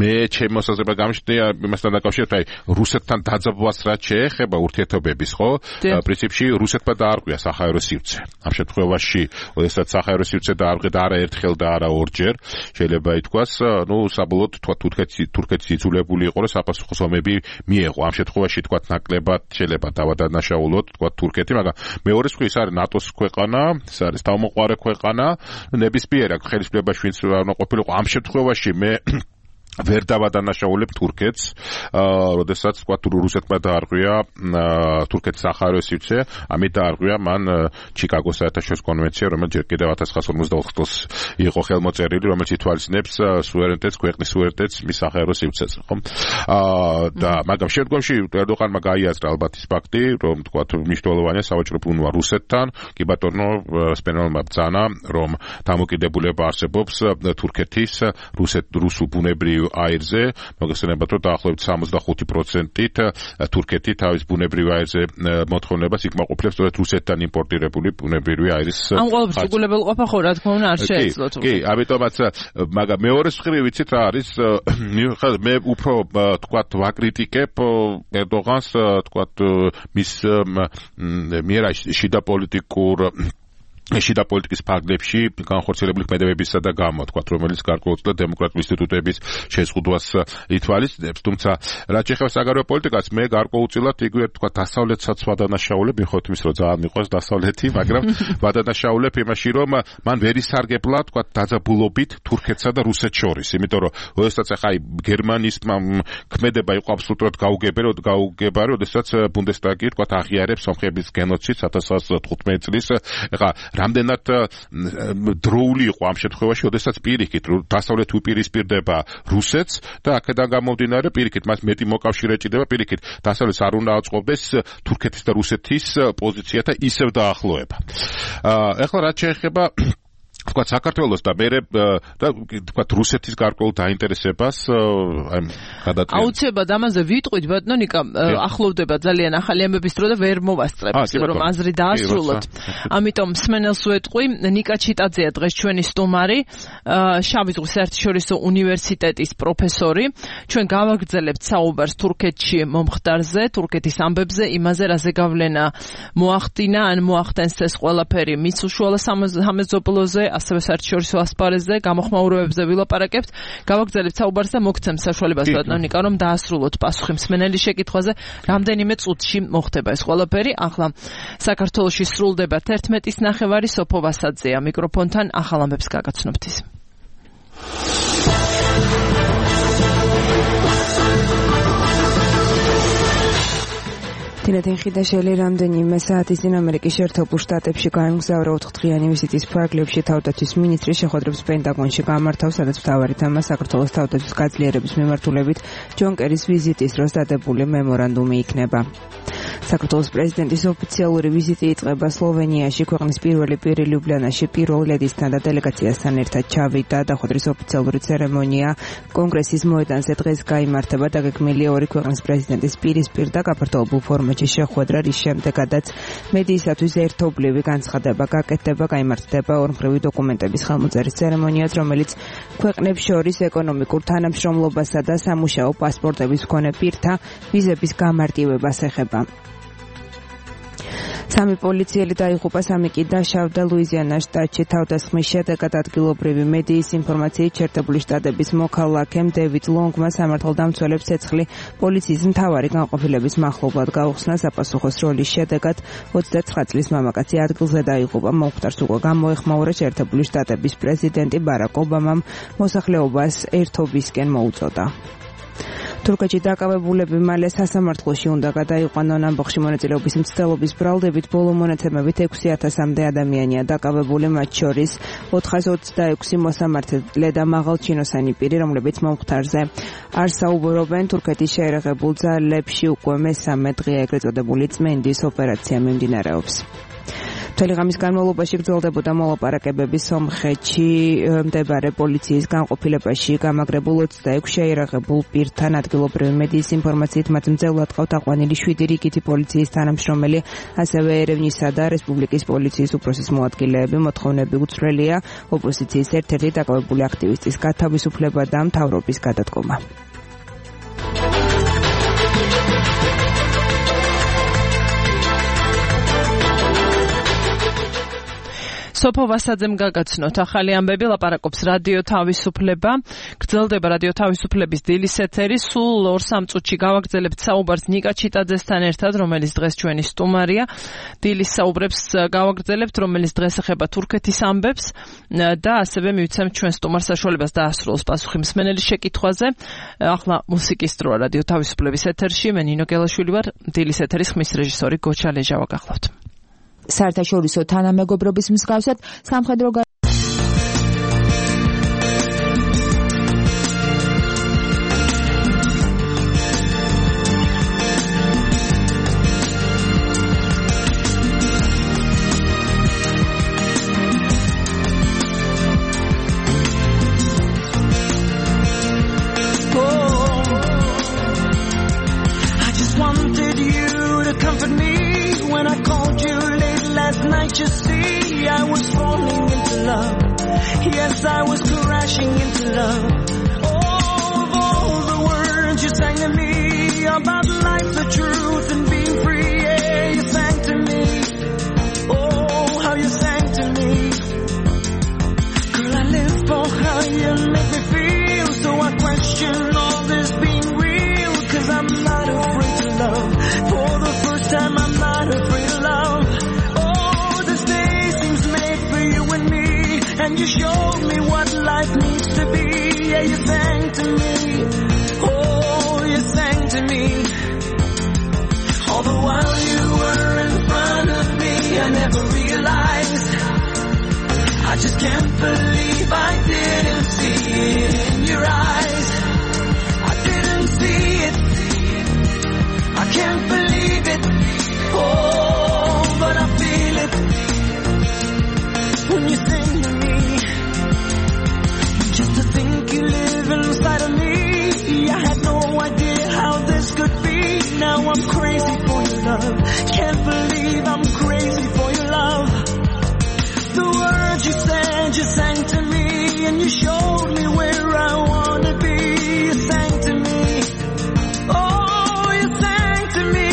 მე ჩემი მოსაზრება გამიშნია იმასთან დაკავშირებით აი რუსეთთან დაძაბვას რაც შეეხება ურთიერთობების ხო პრინციპში რუსეთმა დაარღვია საჰაერო სივრცე ამ შემთხვევაში როდესაც საჰაერო სივრცე დაარღვია და არა ერთხელ და არა ორჯერ შეიძლება ითქვას ნუ საბოლოოდ თურქეთის იძულებული იყო რომ საპასუხო ომები მიეღო ამ შემთხვევაში თქვა ნაკლებად შეიძლება დავადანაშაულოთ თქვა თურქეთი, მაგრამ მეორეს მხრივ ის არის ნატოს ქვეყანა, ეს არის თავმოყარე ქვეყანა, ნებისმიერ ხელისუფლებაში ვინც უნდა ყოფილიყო ამ შემთხვევაში მე ვერ დავადანაშაულებ თურქეთს, როდესაც თქვა რუსეთმა დაარღვია თურქეთის საჰაერო სივრცე, ამით დაარღვია მან ჩიკაგოს საერთაშორისო კონვენცია, რომელიც ჯერ კიდევ 1954 წელს იყო ხელმოწერილი, რომელიც ითვალისწინებს სუვერენიტეტს, ქვეყნის სუვერენიტეტს მის საჰაერო სივრცეზე, ხო? და მაგრამ შემდგომში ერდოღანმა გაიაზრა ალბათ ის ფაქტი, რომ თქვა მნიშვნელოვანია სავაჭრო ბრუნვა რუსეთთან, კი ბატონო სპენელმა ბრძანა, რომ დამოკიდებულება არსებობს თურქეთის რუსულ ბუნებრივ აირზე, მოგესწრებათ რომ დაახლოებით 65%-ით თურქეთი თავის ბუნებრივ აირზე მოთხოვნებას იკმაყოფილებს სწორედ რუსეთთან იმპორტირებული ბუნებრივი აირის. ამ ყოველთვის უგულებელყოფა ხო რა თქმა უნდა არ შეეძლოთ. კი, ამიტომაც მაგრამ მეორეს მხრივ ვიცით რა არის, მე უფრო თქვათ ვაკრიტიკებ ერდოღანს თქვათ მის მიერ შიდა პოლიტიკის ფარგლებში განხორციელებული ქმედებებისა და გამო, თქვათ, რომელიც გარკვეულწილად დემოკრატიული ინსტიტუტების შეზღუდვას ითვალისწინებს, თუმცა რაც შეეხება საგარეო პოლიტიკას, მე გარკვეულწილად იგივე თქვათ, დასავლეთსაც ვადანაშაულებ, მიხოთ იმის, რომ ძალიან მიყვარს დასავლეთი, მაგრამ ვადანაშაულებ იმაში, რომ მან ვერ ისარგებლა, თქვათ, დაძაბულობით თურქეთსა და რუსეთს შორის, იმიტომ რომ როდესაც ახლა აი გერმანიის ქმედება იყო აბსოლუტურად გაუგებარი, როდესაც ბუნდესტაგი თქვათ, აღიარებს სომხების გენოციდს 1915 წლის, ახლა რამდენად დროული იყო ამ შემთხვევაში, როდესაც პირიქით დასავლეთ უპირისპირდება რუსეთს და აქედან გამომდინარე პირიქით მას მეტი მოკავშირე ჭირდება, პირიქით დასავლეთს არ უნდა აწყობდეს თურქეთის და რუსეთის პოზიციათა ისევ დაახლოება. ეხლა რაც შეეხება თქვა საქართველოს და მე და თქვა რუსეთის გარკვეულ დაინტერესებას აი გადაწყვეტ. აუცილებლად ამაზე ვიტყვით ბატონიკა, ახლოვდება ძალიან ახალი ამბების დრო და ვერ მოვასწრებთ რომ აზრი დაასრულოთ. ამიტომ მსმენელს ვეტყვი, ნიკა ჩიტაძეა დღეს ჩვენი სტუმარი, შავი ზღვის საერთაშორისო უნივერსიტეტის პროფესორი. ჩვენ გავაგრძელებთ საუბარს თურქეთში მომხდარზე, თურქეთის ამბებზე, იმაზე რაზე გავლენა მოახდინა ან მოახდენს ეს ყველაფერი მიწუშუალო სამეზობლოზე, ასევე საერთაშორისო ასპარეზზე, გამოხმაურებებზე ვილაპარაკებთ. გავაგრძელებთ საუბარს და მოგცემ საშუალებას ბატონიკა, რომ დაასრულოთ პასუხი მსმენელის შეკითხვაზე, რამდენიმე წუთში მოხდება ეს ყველაფერი. ახლა საქართველოში სრულდება 11:30 სოფო ვასაძეა მიკროფონთან, ახალ ამბებს გაგაცნობთ ის. თინათინ ხიდაშელი რამდენიმე საათის წინ ამერიკის შეერთებულ შტატებში გაემგზავრა 4დღიანი ვიზიტის ფარგლებში თავდაცვის მინისტრის შეხვედრებს პენტაგონში გამართავს, სადაც მთავარი თემა საქართველოს თავდაცვის გაძლიერების მიმართულებით ჯონ კერის ვიზიტის დროს დადებული მემორანდუმი იქნება. საქართველოს პრეზიდენტის ოფიციალური ვიზიტი იწყება სლოვენიაში, ქვეყნის პირველი პირი ლიუბლიანაში პირველ ლედისთან და დელეგაციასთან ერთად ჩავიდა. დახვედრის ოფიციალური ცერემონია კონგრესის მოედანზე დღეს გაიმართება. დაგეგმილია ორი ქვეყნის პრეზიდენტის პირისპირ და გაფართოებულ ფორმატში შეხვედრა, რის შემდეგაც მედიისათვის ერთობლივი განცხადება გაკეთდება, გაიმართება ორმხრივი დოკუმენტების ხელმოწერის ცერემონიაც, რომელიც ქვეყნებს შორის ეკონომიკურ თანამშრომლობასა და სამუშაო პასპორტების მქონე პირთა ვიზების გამარტივებას ეხება. სამი პოლიციელი დაიღუპა, სამი კი დაშავდა ლუიზიანას შტატში. თავდასხმის შედეგად ადგილობრივი მედიის ინფორმაციით შეერთებული შტატების მოქალაქემ დევიდ ლონგმა სამართალდამცველებს ცეცხლი პოლიციის მთავარი განყოფილების მახლობლად გაუხსნა. საპასუხოს როლის შედეგად 29 წლის მამაკაცი ადგილზე დაიღუპა. მომხდარს უკვე გამოეხმაურა შეერთებული შტატების პრეზიდენტი ბარაკ ობამამ მოსახლეობას ერთობისკენ მოუწოდა. თურქეთში დაკავებულები მალე სასამართლოში უნდა გადაიყვანონ. ამბოხში მონაწილეობის მცდელობის ბრალდებით ბოლო მონაცემებით 6,000-მდე ადამიანია დაკავებული, მათ შორის 426 მოსამართლე და მაღალჩინოსანი პირი, რომლებიც მომხდარზე არ საუბრობენ. თურქეთის შეერაღებულ ძალებში უკვე მესამე დღეა ეგრეთ წოდებული წმენდის ოპერაცია მიმდინარეობს. მთელი ღამის განმავლობაში გრძელდებოდა მოლაპარაკებები სომხეთში მდებარე პოლიციის განყოფილებაში. გამაგრებულ 26 შეიარაღებულ პირთან ადგილობრივი მედიის ინფორმაციით მათ მძევლად ყავთ აყვანილი 7 რიგითი პოლიციის თანამშრომელი, ასევე ერევნისა და რესპუბლიკის პოლიციის უფროსის მოადგილეები. მოთხოვნები უცვლელია ოპოზიციის ერთ-ერთი დაკავებული აქტივისტის გათავისუფლება და მთავრობის გადადგომა. სოფო ვასაძემ გაგაცნოთ ახალი ამბები, ლაპარაკობს რადიო თავისუფლება. გრძელდება რადიო თავისუფლების დილის ეთერი. სულ 2-3 წუთში გავაგრძელებთ საუბარს ნიკა ჩიტაძესთან ერთად, რომელიც დღეს ჩვენი სტუმარია. დილის საუბრებს გავაგრძელებთ, რომელიც დღეს ეხება თურქეთის ამბებს და ასევე მივცემთ ჩვენ სტუმარს საშუალებას დაასრულოს პასუხი მსმენელის შეკითხვაზე. ახლა მუსიკის დროა რადიო თავისუფლების ეთერში. მე ნინო გელაშვილი ვარ, დილის ეთერის ხმის რეჟისორი გოჩა ლეჟავა გახლავთ. საერთაშორისო თანამეგობრობის მსგავსად სამხედრო You see, I was falling into love. Yes, I was crashing into love. Oh, of all the words you sang to me about life, the truth, and being free. Yeah, you sang to me. Oh, how you sang to me. Girl, I live for how you make me feel. So I question all this being real. 'Cause I'm not afraid to love. For the first time, I'm not afraid of love. And you showed me what life needs to be. Yeah, you sang to me. Oh, you sang to me. All the while you were in front of me, I never realized love. Can't believe I'm crazy for your love. The words you said, you sang to me, and you showed me where I wanna be. You sang to me, oh, you sang to me.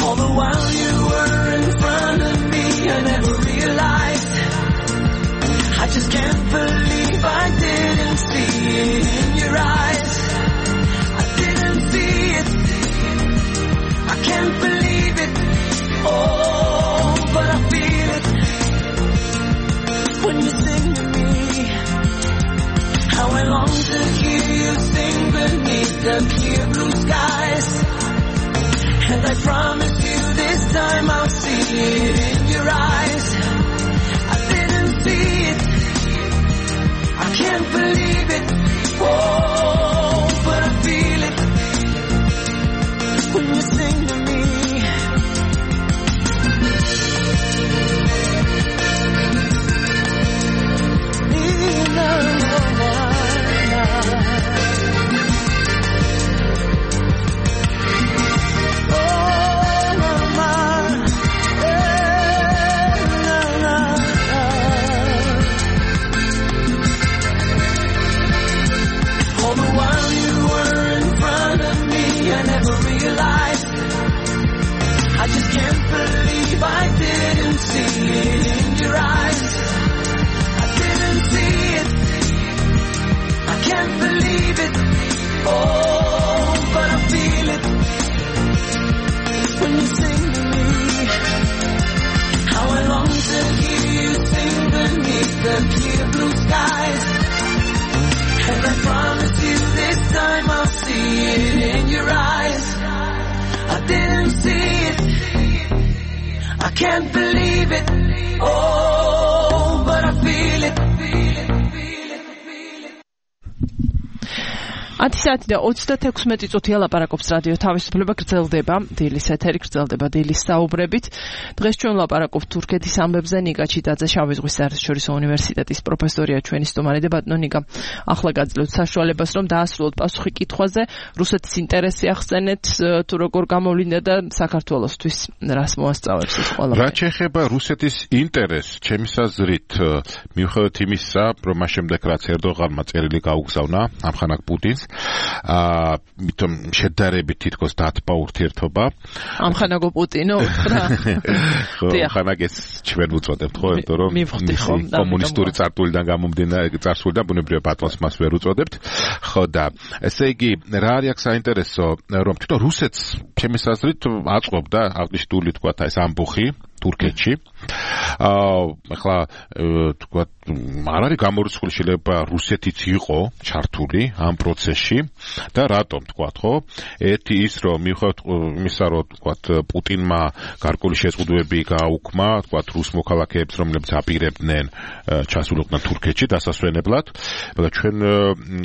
All the while you were in front of me, I never realized. I just can't believe I didn't see it in your eyes. I didn't see it. I can't believe it. Oh, but I feel it when you sing to me. How I long to hear you sing beneath the clear blue skies. And I promise you this time I'll see it in your eyes. I didn't see it. I can't believe it. Oh, but I feel it when you sing to me. I just can't believe I didn't see it in your eyes. I didn't see it. I can't believe it. Oh, but I feel it when you sing to me. How I long to hear you sing beneath the clear blue skies. And I promise you this time I'll see it in your eyes. I didn't see it. I can't believe it. Oh, but I feel it. 10 საათი და 36 წუთია ლაპარაკობს რადიო თავისუფლება, გრძელდება დილის ეთერი, გრძელდება დილის საუბრებით. დღეს ჩვენ ლაპარაკობთ თურქეთის ამბებზე. ნიკა ჩიტაძე, შავი ზღვის საერთაშორისო უნივერსიტეტის პროფესორია, ჩვენი სტუმარი და ბატონო ნიკა, ახლა გაძლევთ საშუალებას, რომ დაასრულოთ პასუხი კითხვაზე, რუსეთის ინტერესი ახსენეთ, თუ როგორ გამოვლინდა და საქართველოსთვის რას მოასწავებს ეს ყველა. რაც შეეხება რუსეთის ინტერესს, ჩემი აზრით, მიუხედავად იმისა, რომ მას შემდეგ რაც ერდოღანმა წერილი გაუგზავნა ამხანაგ პუტინს, მითომ შედარებით თითქოს დათბა ურთიერთობა. ამხანაგო პუტინო, რა. ამხანაგ ეს ჩვენ უწოდებთ, ხო, იმიტომ რომ კომუნისტური წარსულიდან გამომდინარე წარსულიდან ბუნებრივია ბატონს მას ვერ უწოდებთ. ხო და ესე იგი რა არის აქ საინტერესო, რომ თვითონ რუსეთს ჩემი აზრით აწყობდა აღნიშნული თქვა ეს ამბოხი თურქეთში. ახლა თქვა არ არის გამორიცხული შეიძლება რუსეთიც იყო ჩართული ამ პროცესში და რატომ თქვა ხო? ერთი ის რომ მიუხედავად იმისა რომ თქვა პუტინმა გარკვეული შეზღუდვები გააუქმა თქვა რუს მოქალაქეებს რომლებიც აპირებდნენ ჩასულიყვნენ თურქეთში დასასვენებლად. მაგრამ ჩვენ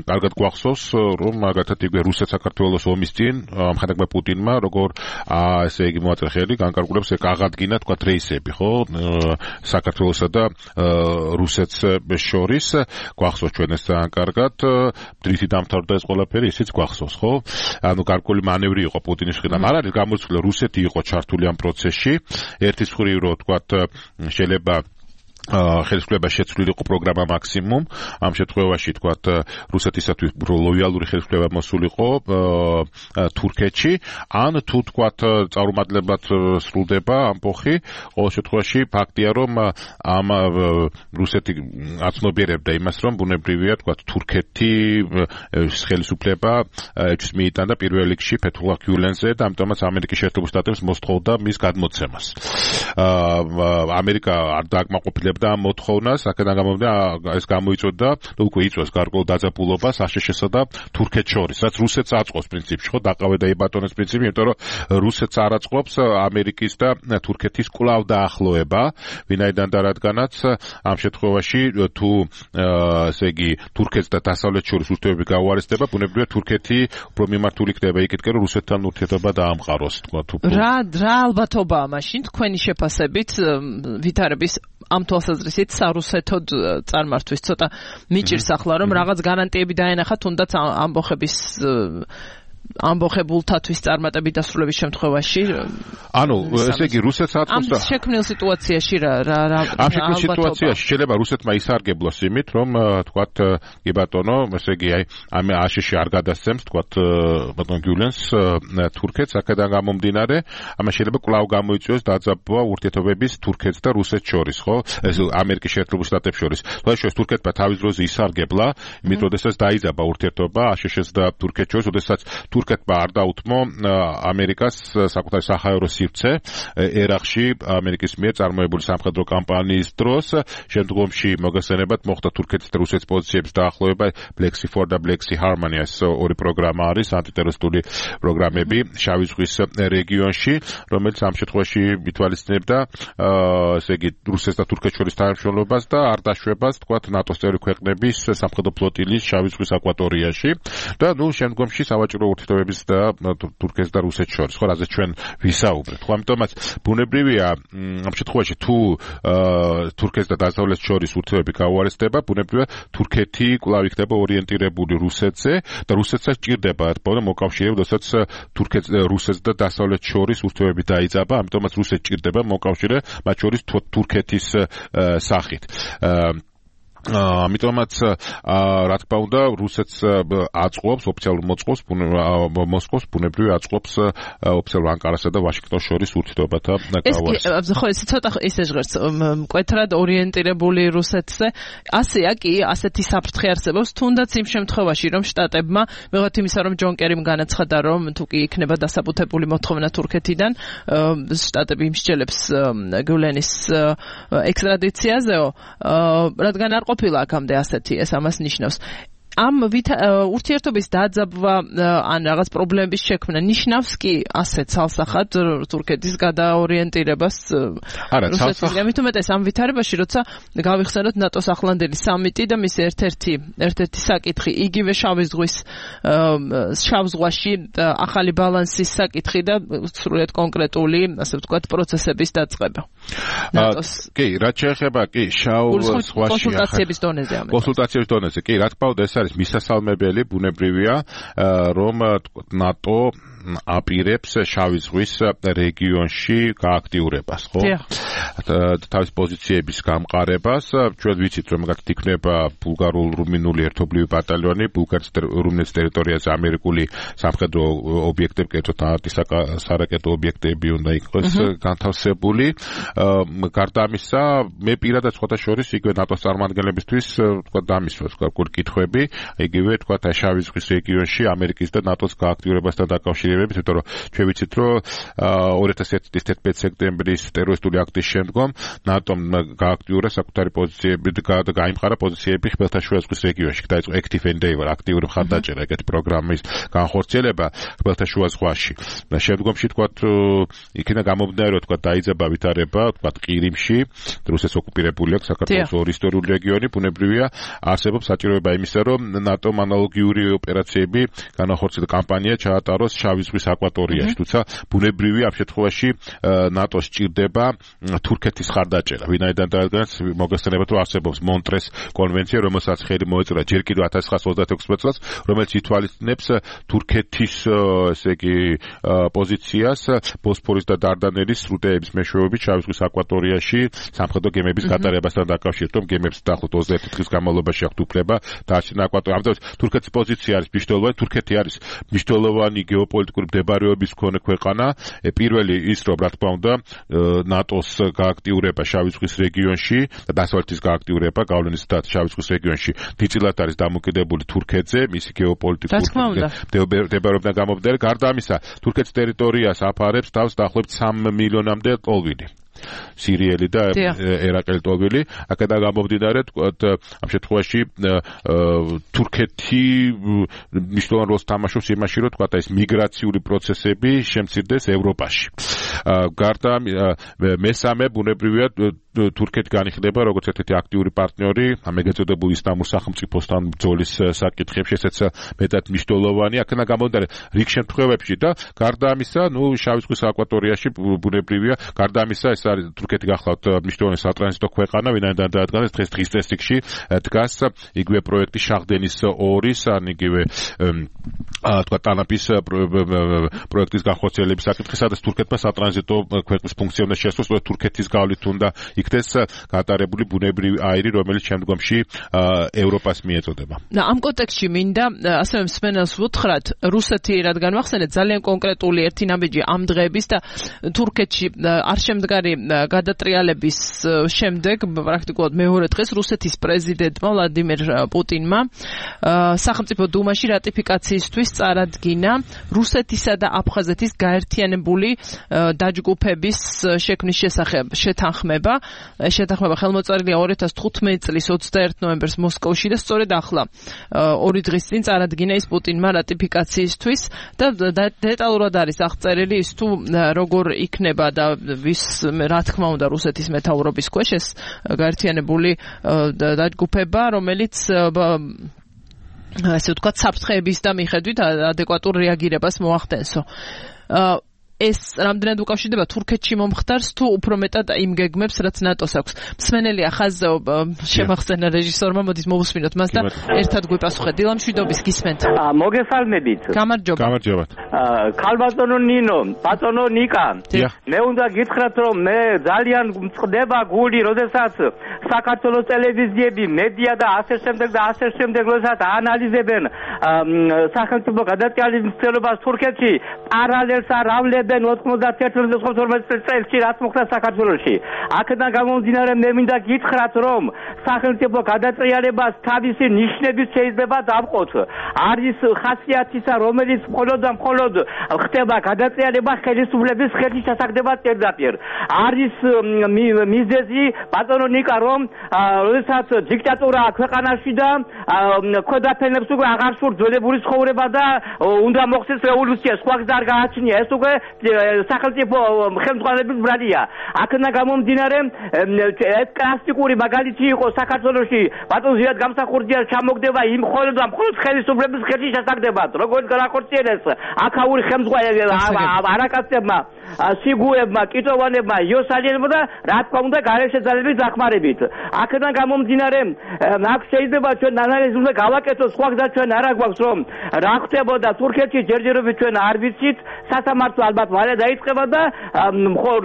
კარგად გვახსოვს რომ მაგათად იგივე რუსეთ-საქართველოს ომის წინ ამხანაგმა პუტინმა როგორ ესე იგი მოაწერა ხელი განკარგულებს აღადგინა თქვა რეისები ხო საქართველოსა და რუსეთს შორის გვახსოვს ჩვენ ეს ძალიან კარგად დრითი დამთავრდა ეს ყველაფერი ისიც გვახსოვს ხო ანუ გარკვეული მანევრი იყო პუტინის მხრიდან არ არის გამორიცხული რუსეთი იყო ჩართული ამ პროცესში ერთის მხრივ რო თქვა შეიძლება ხელისუფლება შეცვლილი იყო პროგრამა მაქსიმუმ ამ შემთხვევაში თქვა რუსეთისათვის ლოიალური ხელისუფლება მოსულიყო თურქეთში ან თუ თქვა წარუმატებლად სრულდება ამბოხი ყოველ შემთხვევაში ფაქტია რომ ამ რუსეთი აცნობიერებდა იმას რომ ბუნებრივია თქვა თურქეთი ხელისუფლება ეჭვს მიიტანდა პირველ რიგში ფეთულlah გიულენზე და ამიტომაც ამერიკის შეერთებულ შტატებს მოსთხოვდა მის გადმოცემას ამერიკა არ დააკმაყოფილებდა და მოთხოვნას აქედან გამომდინა ეს გამოიწვევდა და უკვე იწვევს გარკვეულ დაძაბულობას აშშ-სა და თურქეთს შორის რაც რუსეთს აწყობს პრინციპში ხო დაყავე და იბატონოს პრინციპი იმიტომ რომ რუსეთს არ აწყობს ამერიკის და თურქეთის კვლავ დაახლოება ვინაიდან და რადგანაც ამ შემთხვევაში თუ ესე იგი თურქეთს და დასავლეთს შორის ურთიერთობები გაუარესდება ბუნებრივია თურქეთი უფრო მიმართული ხდება იქითკენ რომ რუსეთთან ურთიერთობა დაამყაროს თქვა თუ რა ალბათობაა მაშინ თქვენი შეფასებით ვითარების ამ თვალსაზრისით სარუსეთოდ წარმართვის ცოტა მიჭირს ახლა რომ რაღაც გარანტიები დაენახა თუნდაც ამბოხების ამბოხებულთათვის წარმატებით დასრულების შემთხვევაში ანუ ესე იგი რუსეთს აწევს ამ შექმნილ სიტუაციაში რა ამ შექმნილ სიტუაციაში შეიძლება რუსეთმა ისარგებლოს იმით რომ თქვათ კი ბატონო ესე იგი აი ამ აშშ არ გადასცემს თქვათ ბატონ გიულენს თურქეთს აქედან გამომდინარე ამას შეიძლება კვლავ გამოიწვიოს დაძაბვა ურთიერთობების თურქეთს და რუსეთს შორის ხო ეს ამერიკის შეერთებულ შტატებს შორის თუმცა თურქეთმა თავის დროზე ისარგებლა იმით როდესაც დაიძაბა ურთიერთობა აშშ-ს და თურქეთს შორის როდესაც თურქეთმა არ დაუთმო ამერიკას საკუთარი საჰაერო სივრცე ერაყში ამერიკის მიერ წარმოებული სამხედრო კამპანიის დროს შემდგომში მოგესალმებათ მოხდა თურქეთის და რუსეთის პოზიციების დაახლოება Black Sea 4 და Black Sea Harmony ეს ორი პროგრამა არის ანტიტერორისტული პროგრამები შავი ზღვის რეგიონში რომელიც ამ შემთხვევაში ითვალისწინებდა ესე იგი რუსეთს და თურქეთს შორის თანამშრომლობას და არ დაშვებას თქვათ ნატოს წევრი ქვეყნების სამხედრო ფლოტილის შავი ზღვის აკვატორიაში და ნუ შემდგომში სავაჭრო ურთიერთობების და თურქეთს და რუსეთს შორის ხო რაზეც ჩვენ ვისაუბრეთ ხო ამიტომაც ბუნებრივია ამ შემთხვევაში თუ თურქეთს და დასავლეთს შორის ურთიერთობები გაუარესდება ბუნებრივია თურქეთი კვლავ იქნება ორიენტირებული რუსეთზე და რუსეთსაც ჭირდება ერთბოლო მოკავშირე როდესაც თურქეთს რუსეთს და დასავლეთს შორის ურთიერთობები დაიძაბა ამიტომაც რუსეთს ჭირდება მოკავშირე მათ შორის თურქეთის სახით ამიტომაც რა თქმა უნდა რუსეთს აწყობს ოფიციალურ მოწყობს მოსკოვს ბუნებრივი აწყობს ოფიციალურ ანკარასა და ვაშინგტონს შორის ურთიერთობათა გავარს ხო ეს ცოტა ისე ჟღერს მკვეთრად ორიენტირებული რუსეთზე ასეა კი ასეთი საფრთხე არსებობს თუნდაც იმ შემთხვევაში რომ შტატებმა მიღოთ იმისა რომ ჯონ კერიმ განაცხადა რომ თუ კი იქნება დასაბუთებული მოთხოვნა თურქეთიდან შტატები იმსჯელებს გულენის ექსტრადიციაზეო რადგან არ ყოფილა აქამდე ასეთი ეს ამას ნიშნავს ამ ურთიერთობის დაძაბვა ან რაღაც პრობლემების შექმნა ნიშნავს კი ასე ცალსახად თურქეთის გადაორიენტირებას რუსეთისგან მით უმეტეს ამ ვითარებაში როცა გავიხსენოთ ნატოს ახლანდელი სამიტი და მის ერთ-ერთი საკითხი იგივე შავი ზღვაში ახალი ბალანსის საკითხი და სრულიად კონკრეტული ასე ვთქვათ პროცესების დაწყება კი რაც შეეხება კი შავ ზღვაში კონსულტაციების დონეზე კი რა თქმა უნდა ეს არის მისასალმებელი ბუნებრივია რომ ნატო აპირებს შავი ზღვის რეგიონში გააქტიურებას ხო თავის პოზიციების გამყარებას ჩვენ ვიცით რომ მაგათ იქნება ბულგარულ-რუმინული ერთობლივი ბატალიონი ბულგარეთის რუმინეთის ტერიტორიაზე ამერიკული სამხედრო ობიექტები კერძოდ სარაკეტო ობიექტები უნდა იყოს განთავსებული გარდა ამისა მე პირადად სხვათა შორის იგივე ნატოს წარმომადგენლებისთვის თქვა დამისვას კითხვები იგივე თქვა შავი ზღვის რეგიონში ამერიკის და ნატოს გააქტიურებასთან დაკავშირებით იმიტომ რომ ჩვენ ვიცით რომ 2011 სექტემბრის ტერორისტული აქტის შემდგომ ნატომ გააქტიურა საკუთარი პოზიციები და გაიმყარა პოზიციები ხმელთაშუა ზღვის რეგიონში დაიწყო active endeavor აქტიური მხარდაჭერა ეგეთი პროგრამის განხორციელება ხმელთაშუა ზღვაში და შემდგომში თქვა იქიდან გამომდინარე რომ თქვა დაიძაბა ვითარება თქვა ყირიმში რუსეთის ოკუპირებული აქვს საქართველოს ორი ისტორიული რეგიონი ბუნებრივია არსებობს საჭიროება იმისა რომ ნატომ ანალოგიური ოპერაციები განახორციელოს კამპანია ჩაატაროს შავი ზღვის აკვატორიაში თუმცა ბუნებრივია ამ შემთხვევაში ნატოს ჭირდება თურქეთის ხარდაჭერა ვინაიდან დაადგინეს მოგესალმებათ რომ არსებობს მონტრეს კონვენცია რომელსაც ხელი მოეწერა ჯერ კიდევ 1936 წელს რომელიც ითვალისწინებს თურქეთის ესე იგი პოზიციას ბოსფორის და დარდანელის სრუტეების მეშვეობით შავი ზღვის აკვატორიაში სამხედრო გემების გატარებასთან დაკავშირებით რომ გემებს დაახლოებით 21 დღის განმავლობაში აქვთ უფლება დაარჩენა აკვატორია ამიტომ თურქეთის პოზიცია არის მნიშვნელოვანი თურქეთი არის მნიშვნელოვანი გეოპოლიტიკური მდებარეობის მქონე ქვეყანა პირველი ის რომ რა თქმა უნდა ნატოს გააქტიურება შავი ზღვის რეგიონში და დასავლეთის გააქტიურება გავლენის და შავი ზღვის რეგიონში დიდწილად არის დამოკიდებული თურქეთზე მისი გეოპოლიტიკური მდებარეობიდან გამომდინარე გარდა ამისა თურქეთის ტერიტორიას აფარებს თავს დაახლოებით 3 მილიონამდე ტოლვილი სირიელი და ერაყელი ტოლვილი აქედან გამომდინარე ამ შემთხვევაში თურქეთი მნიშვნელოვან როლს თამაშობს იმაში რომ თქვა ეს მიგრაციული პროცესები შემცირდეს ევროპაში გარდა მესამე ბუნებრივია თურქეთი განიხილება როგორც ერთ-ერთი აქტიური პარტნიორი ამ ეგეწოდებულ ისლამურ სახელმწიფოსთან ბრძოლის საკითხებში, ესეც მეტად მნიშვნელოვანი. აქედან გამომდინარე, რიგ შემთხვევებში და გარდა ამისა, შავი ზღვის აკვატორიაში ბუნებრივია, გარდა ამისა, ეს არის თურქეთი გახლავთ მნიშვნელოვანი სატრანზიტო ქვეყანა, ვინაიდან დაადგანეს დღის წესრიგში დგას იგივე პროექტი შაჰდენის 2-ის, ან იგივე თქვა ტანაპის პროექტის განხორციელების საკითხი, სადაც თურქეთმა სატრანზიტო ქვეყნის ფუნქცია უნდა შეასრულოს, თურქეთის გავლით უნდა იქნეს გატარებული ბუნებრივი აირი, რომელიც შემდგომში ევროპას მიეწოდება. ამ კონტექსტში მინდა ასევე მსმენელს ვუთხრათ, რუსეთი რადგან ვახსენეთ ძალიან კონკრეტული ერთი ნაბიჯი ამ დღეების და თურქეთში არ შემდგარი გადატრიალების შემდეგ პრაქტიკულად მეორე დღეს რუსეთის პრეზიდენტმა ვლადიმერ პუტინმა სახელმწიფო დუმაში რატიფიკაციისთვის წარადგინა რუსეთისა და აფხაზეთის გაერთიანებული დაჯგუფების შექმნის შესახებ შეთანხმება ხელმოწერილია 2015 წლის 21 ნოემბერს მოსკოვში და სწორედ ახლა 2 დღის წინ წარადგინა ის პუტინმა რატიფიკაციისთვის და დეტალურად არის აღწერილი ის თუ როგორ იქნება და რა თქმა უნდა რუსეთის მეთაურობის ქვეშ ეს გაერთიანებული დაჯგუფება, რომელიც ასე ვთქვათ საფრთხეების და მიხედვით ადეკვატურ რეაგირებას მოახდენსო. ეს რამდენად უკავშირდება თურქეთში მომხდარს თუ უფრო მეტად იმ გეგმებს, რაც ნატოს აქვს. მსმენელი ახაზეო შემახსენა რეჟისორმა, მოდით მოვუსმინოთ მას და ერთად გვიპასუხეთ. დილა მშვიდობის გისმენთ. მოგესალმებით. გამარჯობა. ქალბატონო ნინო, ბატონო ნიკა. მე უნდა გითხრათ, რომ მე ძალიან მწყდება გული, როდესაც საქართველოს ტელევიზიები, მედია და ასე შემდეგ, როდესაც აანალიზებენ სახელმწიფო გადატრიალებას თურქეთში, პარალელს არ ავლებს 91-92 წელს რაც მოხდა საქართველოში. აქედან გამომდინარე მე მინდა გითხრათ, რომ სახელმწიფო გადატრიალებას თავისი ნიშნებით შეიძლება დავყოთ. არის ხასიათისა, რომელიც მხოლოდ ხდება გადატრიალება ხელისუფლების ხელის ჩასაგდება პირდაპირ. არის მიზეზი ბატონო ნიკა, რომ როდესაც დიქტატურაა ქვეყანაში და ქვედაფენებს უკვე აღარ სურს ძველებური ცხოვრება და უნდა მოხდეს რევოლუცია, სხვას და არ გააჩნია. ეს უკვე სახელმწიფო ხელმძღვანელობის ბრალია. აქედან გამომდინარე, ეს კლასიკური მაგალითი იყო საქართველოში, ბატონ ზიად გამსახურდია ჩამოგდება იმ მხოლოდ ხელისუფლების ხელში ჩასაგდებად. როგორც განახორციელეს აქაური ხელმძღვანელი არაკაცებმა, სიგუებმა, კიტოვანებმა, იოსალიანებმა და რა თქმა უნდა გარეშე ძალების დახმარებით. აქედან გამომდინარე, აქ შეიძლება ჩვენ ანალიზი უნდა გავაკეთოთ, სხვა გზა ჩვენ არ აქვს, რომ რა ხდებოდა თურქეთში ჯერჯერობით ჩვენ არ ვიცით, სასამართლო ალბათ მალე დაიწყება და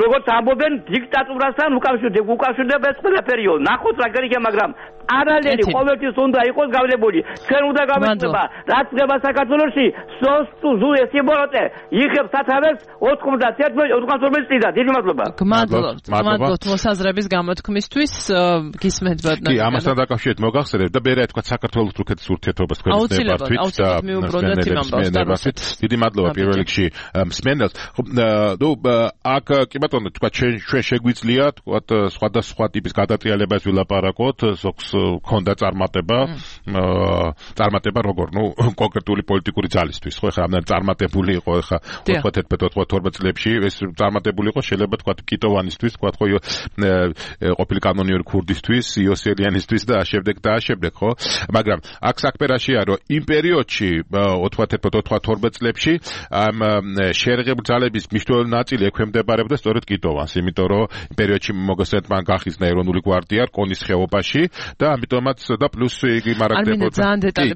როგორც ამბობენ დიქტატურასთან უკავშირდება ეს ყველაფერიო. ნახოთ რა გერიგე, მაგრამ პარალელი ყოველთვის უნდა იყოს გავლებული. ჩვენ უნდა გავეცდება რაც ხდება საქართველოში, სოსტუ ესიბოროტე იღებს სათავეს 91-92 წლიდან. დიდი მადლობა. გმადლობთ მოსაზრების გამოთქმისთვის. გისმენთ ბატონო. კი, ამასთან დაკავშირებით მოგახსენებთ და მე რა თქვა საქართველოს თურქეთის ურთიერთობას თქვენს ნებართვით და აუცილებლად. დიდი მადლობა პირველ რიგში მსმენელს. აქ კი ბატონო, თქვა ჩვენ შეგვიძლია თქვა სხვადასხვა ტიპის გადატრიალებას ვილაპარაკოთ, ზოგს ქონდა წარმატება როგორ, კონკრეტული პოლიტიკური ძალისთვის, ხო, ეხლა ამდენ წარმატებული იყო ეხლა 91-92 წლებში, ეს წარმატებული იყო შეიძლება თქვა კიტოვანისთვის, თქვა ხო, ყოფილი კანონიური ქურდისთვის, იოსელიანისთვის და შემდეგ, ხო? მაგრამ აქ საქმე რაშია, რომ იმ პერიოდში 91-92 წლებში ამ შეერაღებული ძალების მნიშვნელოვანი ნაწილი ექვემდებარებოდა სწორედ კიტოვანს, იმიტომ რომ იმ პერიოდში მოგესალმეთ მან გახიზნა ეროვნული გვარდია რკონის ხეობაში და ამიტომაც და პლუს იგი მარაგდებოდა.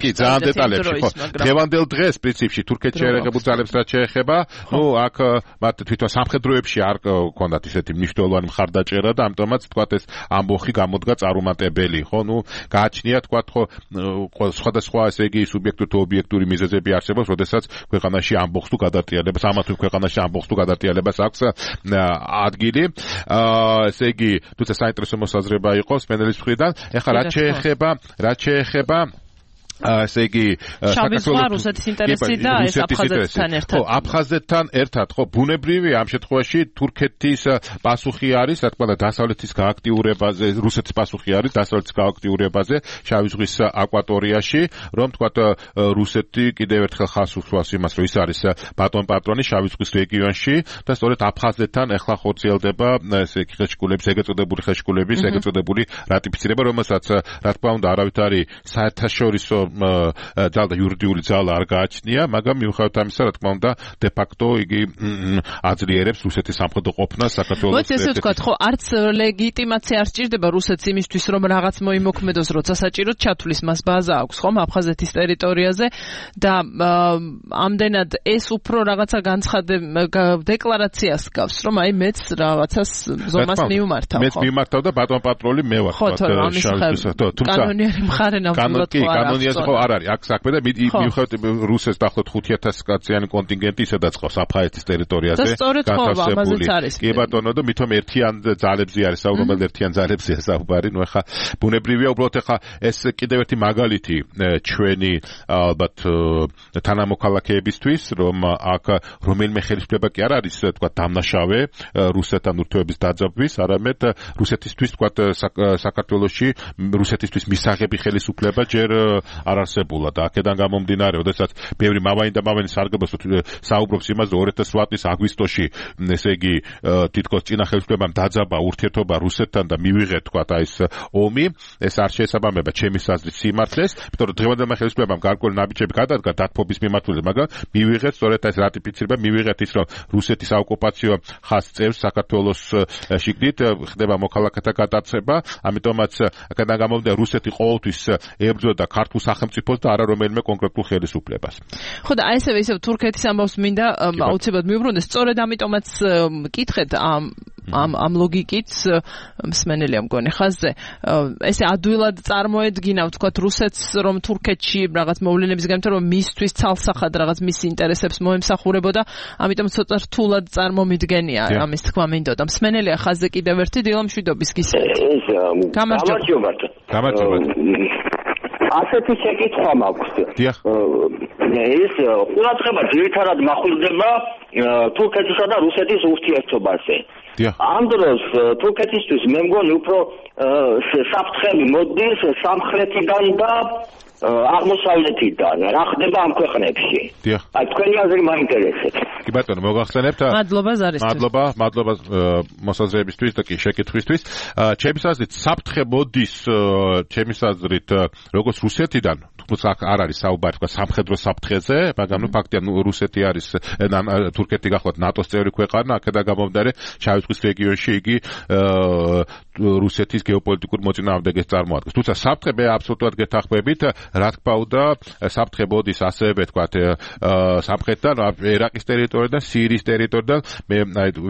კი, ძალიან დეტალებში, ხო. დღევანდელ დღეს პრინციპში თურქეთში შეერაღებულ ძალებს რაც შეეხება, აქ მათ თვითონ სამხედროებში არ ჰქონდათ ისეთი მნიშვნელოვანი მხარდაჭერა და ამიტომაც თქვა ეს ამბოხი გამოდგა წარუმატებელი, ხო? გააჩნია თქვა ხო სხვადასხვა ესე იგი სუბიექტური თუ ობიექტური მიზეზები არსებობს, როდესაც ქვეყანაში ამბოხს თუ გადატრიალებას, ამა თუ ქვეყანაში ამბოხს თუ გადატრიალებას აქვს ადგილი. ესე იგი, თუმცა საინტერესო მოსაზრება იყო სპენელის მხრიდან. ეხლა რაც შეეხება ესე იგი რუსეთის ინტერესი და ეს აფხაზეთთან ერთად. ხო, აფხაზეთთან ერთად, ხო, ბუნებრივია ამ შემთხვევაში თურქეთის პასუხი არის, რა თქმა უნდა, დასავლეთის გააქტიურებაზე, რუსეთის პასუხი არის დასავლეთის გააქტიურებაზე შავი ზღვის აკვატორიაში, რომ თქვათ რუსეთი კიდევ ერთხელ ხაზს უსვამს იმას, რომ ის არის ბატონ პატრონი შავი ზღვის რეგიონში და სწორედ აფხაზეთთან ახლა ხორციელდება ესე იგი ხელშეკრულების, ეგრეთ წოდებული ხელშეკრულების, ეგრეთ წოდებული რატიფიცირება, რომელსაც რა თქმა უნდა არავით არის საერთაშორისო ძალა და იურიდიული ძალა არ გააჩნია, მაგრამ მიუხედავად ამისა, რა თქმა უნდა, de facto იგი აძლიერებს რუსეთის სამხედრო ყოფნას საქართველოს. მოიცა ესე ვთქვათ, ხო, არც ლეგიტიმაცია არ სჭირდება რუსეთს იმისთვის, რომ რაღაც მოიმოქმედოს, როცა საჭიროდ ჩათვლის მას ბაზა აქვს, ხომ, აფხაზეთის ტერიტორიაზე და ამდენად ეს უფრო რაღაცა დეკლარაციას გავს, რომ აი მეც რაღაცას ზომას მივმართავ, ხო? მეც მივმართავ და ბატონ პატრონი მე ვარ, კანონიერი მხარე ნამდვილად კანონიაზე არ არის აქ საქმე და მიუხედავად რუსეთს დაახლოებით 5000 კაციანი კონტინგენტი ისედაც ყავს აფხაზეთის ტერიტორიაზე განთავსებული. კი ბატონო და მithom ერთიან ძალებზე არის საუბარი, ერთიან ძალებზეა საუბარი. ნუ ახლა ბუნებრივია უბრალოდ ახლა ეს კიდევ ერთი მაგალითი ჩვენი ალბათ თანამოქალაქეებისთვის, რომ აქ რომელიმე ხელისუფლება კი არ არის თქვა დამნაშავე რუსეთთან ურთიერთობის დაძაბვის, არამედ რუსეთისთვის თქვა საქართველოში რუსეთისთვის მისაღები ხელისუფლება ჯერ არ არსებულა და აქედან გამომდინარე, როდესაც ბევრი მამანი და მამენი სარგებლობს საუბრობს იმაზე 2008 წლის აგვისტოში, ესე იგი თითქოს წინა ხელისუფლებამ დაძაბა ურთიერთობა რუსეთთან და მივიღეთ თქვა ეს ომი, ეს არ შეესაბამება ჩემის აზრით სიმართლეს, იმიტომ რომ დღევანდელმა ხელისუფლებამ გარკვეული ნაბიჯები გადადგა დათბობის მიმართულებით, მაგრამ მივიღეთ სწორედ ეს რატიფიცირება, მივიღეთ ის, რომ რუსეთის საოკუპაციო ხაზს წევს საქართველოს შიგნით ხდება მოქალაქეთა გადაცემა, ამიტომაც აქედან გამომდინარე რუსეთი ყოველთვის ებრძოდა ქართულ სახელმწიფოს და არა რომელიმე კონკრეტულ ხელისუფლებას. ხო და აი ისევ თურქეთის ამბავს მინდა აუცილებლად მიუბრუნდეს, სწორედ ამიტომაც მკითხეთ ამ ლოგიკით მსმენელია მგონი ხაზზე ესე ადვილად წარმოედგინა ვთქვათ რუსეთს, რომ თურქეთში რაღაც მოვლენების გამო რომ მისთვის ცალსახად რაღაც მის ინტერესებს მოემსახურებოდა, ამიტომ ცოტა რთულად წარმომიდგენია ამის თქმა მინდოდა. მსმენელია ხაზზე კიდევ ერთი დილა მშვიდობის გისმენთ. გამარჯობა. ასეთი შეკითხვა მაქვს. ეს ყურადღება ძირითადად მახვილდება თურქეთისა და რუსეთის ურთიერთობაზე. ამ დროს თურქეთისთვის მე მგონი უფრო საფრთხე მოდის სამხრეთიდან და აღმოსავლეთიდან. რა ხდება ამ ქვეყნებში? აი თქვენი აზრი მაინტერესებს. კი ბატონო, მოგახსენებთ? მადლობა ზარისთვის. მადლობა მოსაზრებისთვის და კი შეკითხვისთვის. ჩემს აზრით საფრთხე მოდის ჩემს აზრით როგორც რუსეთიდან, თუმცა არ არის საუბარი თქვა სამხედრო საფრთხეზე, მაგრამ ფაქტია რუსეთი არის თურქეთი გახლავთ ნატოს წევრი ქვეყანა, აქედან გამომდინარე შავი ზღვის რეგიონში იგი რუსეთის გეოპოლიტიკურ მოწინააღმდეგეს წარმოადგენს. თუმცა საფრთხე მე აბსოლუტურად გეთანხმებით, რა თქმა უნდა, საფრთხე მოდის ასევე თქვა სამხრეთიდან, ერაყის ტერიტორიიდან, სირიის ტერიტორიიდან. მე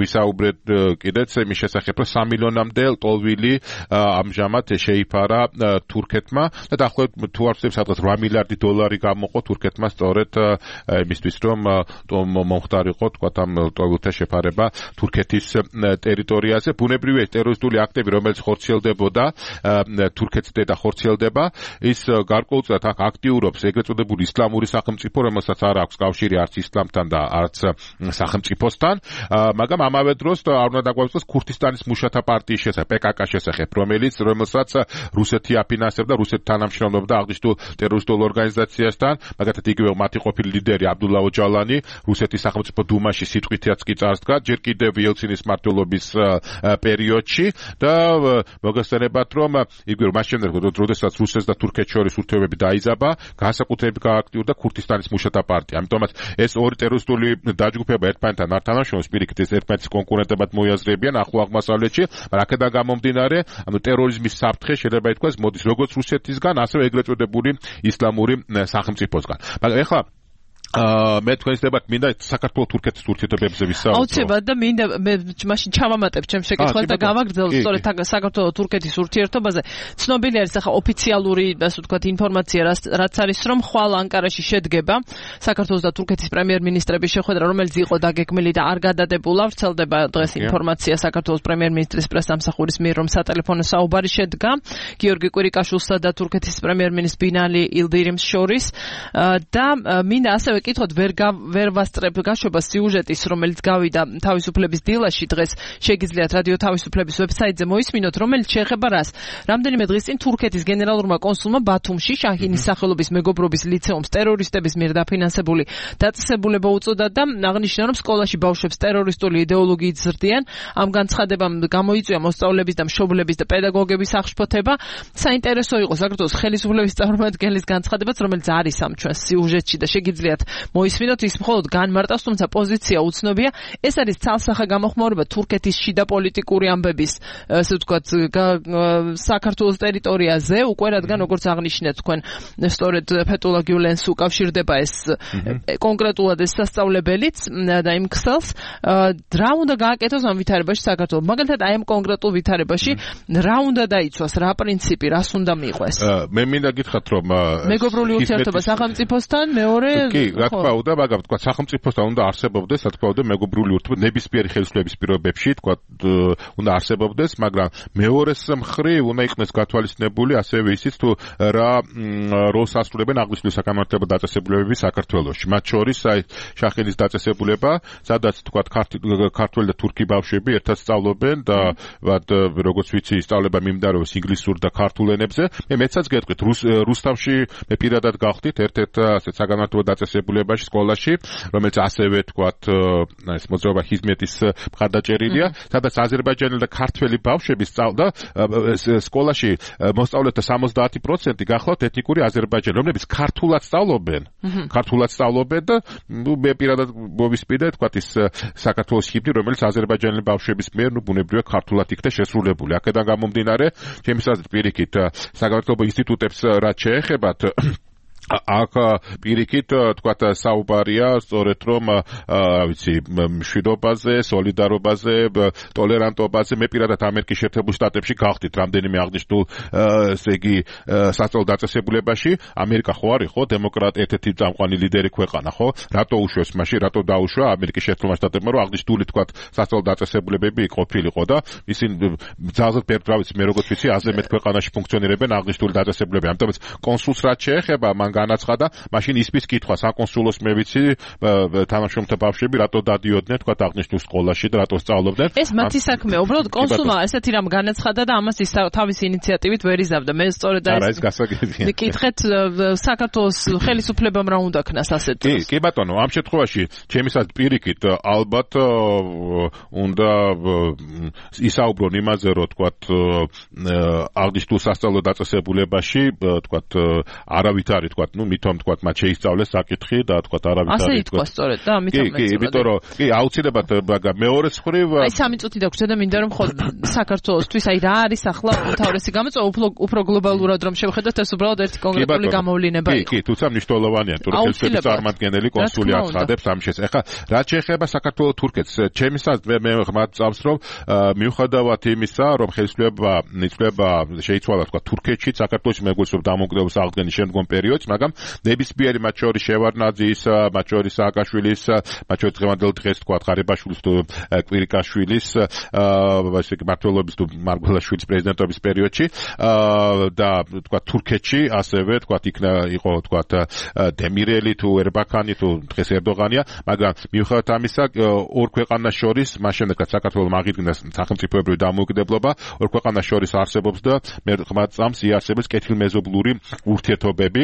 ვისაუბრეთ კიდეც იმის შესახებ, რომ 3 მილიონამდე ლტოლვილი ამჟამად შეიფარა თურქეთმა და დაახლოებით თუ არ ვცდები სადღაც 8 მილიარდი დოლარი გამოყო თურქეთმა სწორედ იმისთვის, რომ მომხდარიყო თქვა ამ ლტოლვილთა შეფარება თურქეთის ტერიტორიაზე. ბუნებრივია ტერორისტული აქტები, რომელიც ხორციელდებოდა თურქეთზე და ხორციელდება, ის გარკვეულწილად აქ აქტიურობს ეგრეთ წოდებული ისლამური სახელმწიფო, რომელსაც არ აქვს კავშირი არც ისლამთან და არც სახელმწიფოსთან, მაგრამ ამავე დროს არ უნდა დაგვაუწყდეს ქურთისტანის მუშათა პარტიის შესახებ, PKK-ს შესახებ, რომელსაც რუსეთი აფინანსებდა, რუსეთი თანამშრომლობდა აღნიშნულ ტერორისტულ ორგანიზაციასთან, მაგალითად იგივე მათი ყოფილი ლიდერი აბდულლა ოჯალანი რუსეთის სახელმწიფო დუმაში სიტყვითაც კი წარსდგა, ჯერ კიდევ იელცინის მმართველობის პერიოდში და მოგესწრებათ, რომ იგივე მას შემდეგ, როდესაც რუსეთს და თურქეთს შორის ურთიერთობები დაიზაბა, განსაკუთრებით გააქტიურდა ქურთისტანის მუშათა პარტია. ამიტომაც ეს ორი ტერორისტული დაჯგუფება ერთმანეთთან არ თანამშრომლობს, პირიქით ეს ერთმანეთის კონკურენტებად მოიაზრებიან ახლო აღმოსავლეთში, მაგრამ აქედან გამომდინარე, ტერორიზმის საფრთხე შეიძლება ითქვას მოდის როგორც რუსეთისგან, ასევე ეგრეთ წოდებული ისლამური სახელმწიფოსგან. მაგრამ ეხლა მე თქვენს დებათ მინდა საქართველოს თურქეთის ურთიერთობებზე ვისაუბროთ. აუცილებლად და მინდა მე მაშინ ჩავამატებ ჩემს შეკითხვას და გავაგრძელოთ სწორედ საქართველოს თურქეთის ურთიერთობაზე. ცნობილი არის ახლა ოფიციალური, ასე ვთქვათ, ინფორმაცია, რაც არის, რომ ხვალ ანკარაში შედგება საქართველოს და თურქეთის პრემიერ-მინისტრების შეხვედრა, რომელიც იყო დაგეგმილი და არ გადადებულა. ვრცელდება დღეს ინფორმაცია საქართველოს პრემიერ-მინისტრის პრესამსახურის მიერ, რომ სატელეფონო საუბარი შედგა გიორგი კვირიკაშვილსა და თურქეთის პრემიერ-მინისტრ ბინალი ილდირიმს შორის და მინდა ასევე კითხოთ ვერ ვასწრებ გაშვებას სიუჟეტის, რომელიც გავიდა თავისუფლების დილაში დღეს შეგიძლიათ რადიო თავისუფლების ვებსაიტზე მოისმინოთ, რომელიც შეეხება რას. რამდენიმე დღის წინ თურქეთის გენერალურმა კონსულმა ბათუმში შაჰინის სახელობის მეგობრობის ლიცეუმს ტერორისტების მიერ დაფინანსებული დაწესებულება უწოდა და აღნიშნა, რომ სკოლაში ბავშვებს ტერორისტული იდეოლოგიით ზრდიან. ამ განცხადებამ გამოიწვია მოსწავლეების და მშობლების და პედაგოგების აღშფოთება. საინტერესო იყო საქართველოს ხელისუფლების წარმომადგენლის განცხადებაც, რომელიც არის ამ ჩვენს სიუჟეტში და შეგიძლიათ მოისმინოთ, ის მხოლოდ განმარტავს, თუმცა პოზიცია უცნობია. ეს არის ცალსახა გამოხმაურება თურქეთის შიდა პოლიტიკური ამბების, ასე ვთქვათ, საქართველოს ტერიტორიაზე, უკვე რადგან როგორც აღნიშნეთ თქვენ, სწორედ ფეტულა გიულენს უკავშირდება ეს კონკრეტულად ეს სასწავლებელიც და იმ ქსელს, რა უნდა გააკეთოს ამ ვითარებაში საქართველოს. მაგალითად, აი ამ კონკრეტულ ვითარებაში რა უნდა დაიცვას, რა პრინციპი, რას უნდა მიყვეს? მე მინდა გითხრათ, რომ მეგობრული ურთიერთობა სახელმწიფოსთან, მეორე რა თქმა უნდა, მაგრამ თქვა სახელმწიფოსთან უნდა არსებობდეს, რა თქმა უნდა, მეგობრული ურთიერთობა ნებისმიერი ხელისუფლების პირობებში, თქვა უნდა არსებობდეს, მაგრამ მეორეს მხრივ უნდა იქნეს გათვალისწინებული ასევე ისიც თუ რა როლს ასრულებენ აღნიშნული საკანონმდებლო დაწესებულებები საქართველოში. მათ შორის აი შაჰინის დაწესებულება, სადაც თქვა ქართველი და თურქი ბავშვები ერთად სწავლობენ და როგორც ვიცი, სწავლება მიმდინარეობს ინგლისურ და ქართულ ენებზე. მეცაც გეტყვით, რუსთავში მე პირადად გავხდით ერთ-ერთ ასეთ საკანონმდებლო დაწესებულებაში სკოლაში, რომელიც ასევე თქვათ ეს მოძრაობა ჰიზმეთის მხარდაჭერილია, სადაც აზერბაიჯანელი და ქართველი ბავშვები სწავლდა სკოლაში მოსწავლეთა 70% გახლავთ ეთნიკური აზერბაიჯანელი, რომლებიც ქართულად სწავლობენ და მე პირადად მოვისმინე თქვათ ის საქართველოს ჰიმნი, რომელიც აზერბაიჯანელი ბავშვების მიერ ბუნებრივია ქართულად იქნა შესრულებული. აქედან გამომდინარე, ჩემს აზრით პირიქით საგანმანათლებლო ინსტიტუტებს რაც შეეხებათ აქ პირიქით თქვათ საუბარია სწორედ რომ ვიცი მშვიდობაზე, სოლიდარობაზე, ტოლერანტობაზე. მე პირადად ამერიკის შეერთებულ შტატებში გავხდით რამდენიმე აღნიშნულ ესე იგი სასწავლო დაწესებულებაში. ამერიკა ხო არის ხო დემოკრატია, წამყვანი ლიდერი ქვეყანა ხო? რატო უშვეს მაშინ, რატო დაუშვა ამერიკის შეერთებულ შტატებმა, რომ აღნიშნული თქვათ სასწავლო დაწესებულებები ყოფილიყო და ისინი ძალზედ პერტრავიც მე როგორც ვიცი, აზე მეტ ქვეყანაში ფუნქციონირებენ აღნიშნული დაწესებულებები. ამიტომაც კონსულს რაც შეეხება, მან განაცხადა, მაშინ ისმის კითხვა საკონსულოს მე ვიცი თანამშრომლთა ბავშვები რატო დადიოდნენ თქვა აღნიშნულ სკოლაში და რატო სწავლობდნენ. ეს მათი საქმეა. უბრალოდ კონსულმა ესეთი რამ განაცხადა და ამას ის თავისი ინიციატივით ვერ იზავდა. მე სწორედ ეს გასაგებია. კითხეთ საქართველოს ხელისუფლებამ რა უნდა ქნას ასეთ დროს. კი ბატონო, ამ შემთხვევაში ჩემისაც პირიქით ალბათ უნდა ისაუბრონ იმაზე, რომ თქვა აღნიშნულ სასწავლო დაწესებულებაში თქვა არავით არის თქვა მithom თქვა მათ შეისწავლეს საკითხი და თქვა არავით არის ასე ითქვა სწორედ და ამიტომ კი, იმიტომ რომ კი აუცილებლად მეორეს მხრივ აი 3 წუთი დაგვრჩა და მინდა რომ ხოლმე საქართველოსთვის აი რა არის ახლა თავისი გამოწვევა უფრო გლობალურად რომ შევხედოთ ეს უბრალოდ ერთი კონკრეტული გამოვლინება იყო. კი, თუმცა მნიშვნელოვანია თურქეთის წარმომადგენელი კონსული აცხადებს ამ შესახებ. ეხლა რაც შეეხება საქართველოს თურქეთს, ჩემს აზრით მე ხმად წამს რომ მიუხედავად იმისა, რომ ხელისუფლება შეიცვალა თქვა თურქეთში, საქართველოში მეგობრობის დამოუკიდებლობის აღდგენის შემდგომ პერიოდში, მაგრამ ნებისმიერი მათ შორის შევარდნაძის, მათ შორის სააკაშვილის, მათ შორის დღევანდელ დღეს თქვა ღარიბაშვილის თუ კვირიკაშვილის ესე იგი მმართველობის თუ მარგველაშვილის პრეზიდენტობის პერიოდში და თქვა თურქეთში ასევე თქვა იყო თქვა დემირელი თუ ერბაქანი თუ დღეს ერდოღანია, მაგრამ მიუხედავად ამისა ორ ქვეყანას შორის მას შემდეგ რაც საქართველოს აღიდგინეს სახელმწიფოებრივი დამოუკიდებლობა, ორ ქვეყანას შორის არსებობს და მე ხმად წამს იარსებებს კეთილმეზობლური ურთიერთობები.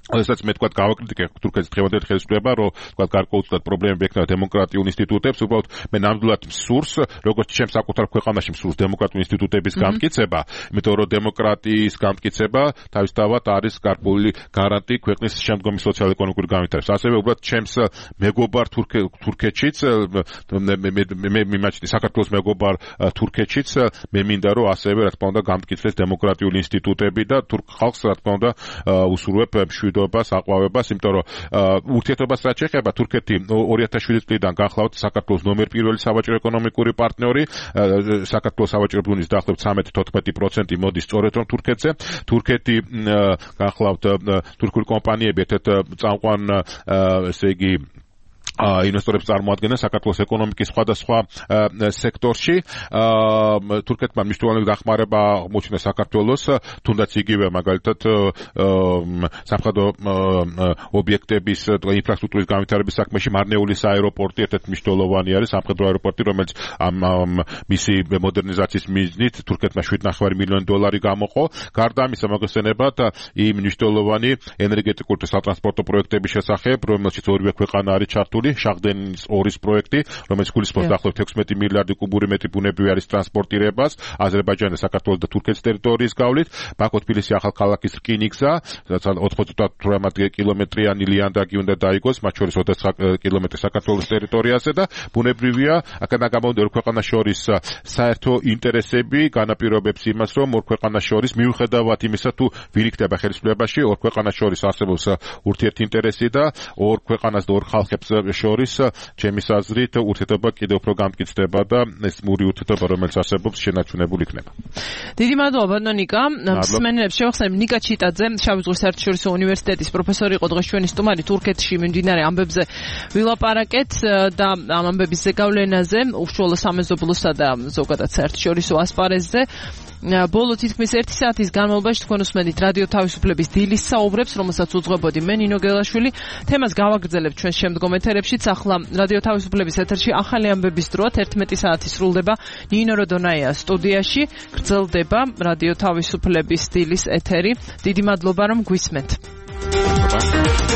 Ოდესაც მე თქვა გავაკრიტიკე თურქეთის დღევანდელ ხელისუფლება, რომ თქვა გარკვეულწილად პრობლემები ექნება დემოკრატიულ ინსტიტუტებს, უბრალოდ მე ნამდვილად მსურს, როგორც ჩემს საკუთარ ქვეყანაში მსურს დემოკრატიული ინსტიტუტების განმტკიცება, იმიტომ რომ დემოკრატიის განმტკიცება თავისთავად არის გარკვეული გარანტი ქვეყნის შემდგომი სოციალურ-ეკონომიკური განვითარების. ასევე უბრალოდ ჩემს მეგობარ თურქეთშიც მე მიმაჩნია საქართველოს მეგობარ თურქეთშიც მე მინდა რომ ასევე რა თქმა უნდა განმტკიცდეს დემოკრატიული ინსტიტუტები და თურქ ხალხს რა თქმა უნდა უსურვებ მშვიდობას, აყვავებას, იმიტომ რომ ურთიერთობას რაც შეეხება თურქეთი 2007 წლიდან განხლავთ საქართველოს ნომერ პირველი სავაჭრო ეკონომიკური პარტნიორი, საქართველოს სავაჭრო ბრძნის დაახლოებით 13-14% მოდის სწორედ რომ თურქეთზე. თურქეთი განხლავთ თურქული კომპანიები ერთ-ერთ წამყვან ესე იგი ინვესტორებს წარმოადგენენ საქართველოს ეკონომიკის სხვადასხვა სექტორში. თურქეთმა მნიშვნელოვანი დახმარება აღმოჩნდა საქართველოს, თუნდაც იგივე მაგალითად სამხედრო ობიექტების ინფრასტრუქტურის განვითარების საქმეში მარნეულის აეროპორტი ერთ-ერთი მნიშვნელოვანი არის სამხედრო აეროპორტი, რომელიც მისი მოდერნიზაციის მიზნით თურქეთმა $7.9 მილიონი გამოყო. გარდა ამისა მოგესწრებათ იმ მნიშვნელოვანი ენერგეტიკული და სატრანსპორტო პროექტების შესახებ, რომელშიც ორივე ქვეყანა არის ჩართული. შახდენის 2-ის პროექტი, რომელიც გულისხმობს დაახლოებით 16 მილიარდი კუბური მეტრი ბუნებრივი არის ტრანსპორტირებას აზერბაიჯანის, საქართველოს და თურქეთის ტერიტორიის გავლით. ბაქო-თბილისი ახალქალაქის რკინიგზა, რაც 98 კილომეტრიანი ლიანდაგი უნდა დაიგოს, მათ შორის 29 კილომეტრი საქართველოს ტერიტორიაზე და ბუნებრივია, აქედან გამომდინარე ორ ქვეყანას შორის საერთო ინტერესები განაპირობებს იმას, რომ ორ ქვეყანას შორის მიუხედავად იმისა, თუ ვინ იქნება ხელისუფლებაში, ორ ქვეყანას შორის არსებობს ურთიერთინტერესი და ორ ქვეყანას და ორ ხალხებს შორის ჩემის აზრით ურთიერთობა კიდევ უფრო გამტკიცდება და ეს მური ურთიერთობა რომელიც არსებობს შენარჩუნებული იქნება. დიდი მადლობა ბატონო ნიკა. მსმენელებს შევახსენებ ნიკა ჩიტაძე, შავი ზღვის საერთაშორისო უნივერსიტეტის პროფესორი იყო დღეს ჩვენი სტუმარი. თურქეთში მიმდინარე ამბებზე ვილაპარაკეთ და ამ ამბების ზეგავლენაზე, უშუალო სამეზობლოსა და ზოგადად საერთაშორისო ასპარეზზე. ბოლო თითქმის 1 საათის განმავლობაში თქვენ უსმენთ რადიო თავისუფლების დილის საუბრებს, რომელსაც უძღვებოდი მე ნინო გელაშვილი. თემას გავაგრძელებთ ჩვენ შემდგომ ეთერებშიც. ახლა რადიო თავისუფლების ეთერში ახალი ამბების დროა 11 საათი სრულდება. ნინო როდონაია სტუდიაში, გრძელდება რადიო თავისუფლების დილის ეთერი. დიდი მადლობა რომ გვისმენთ.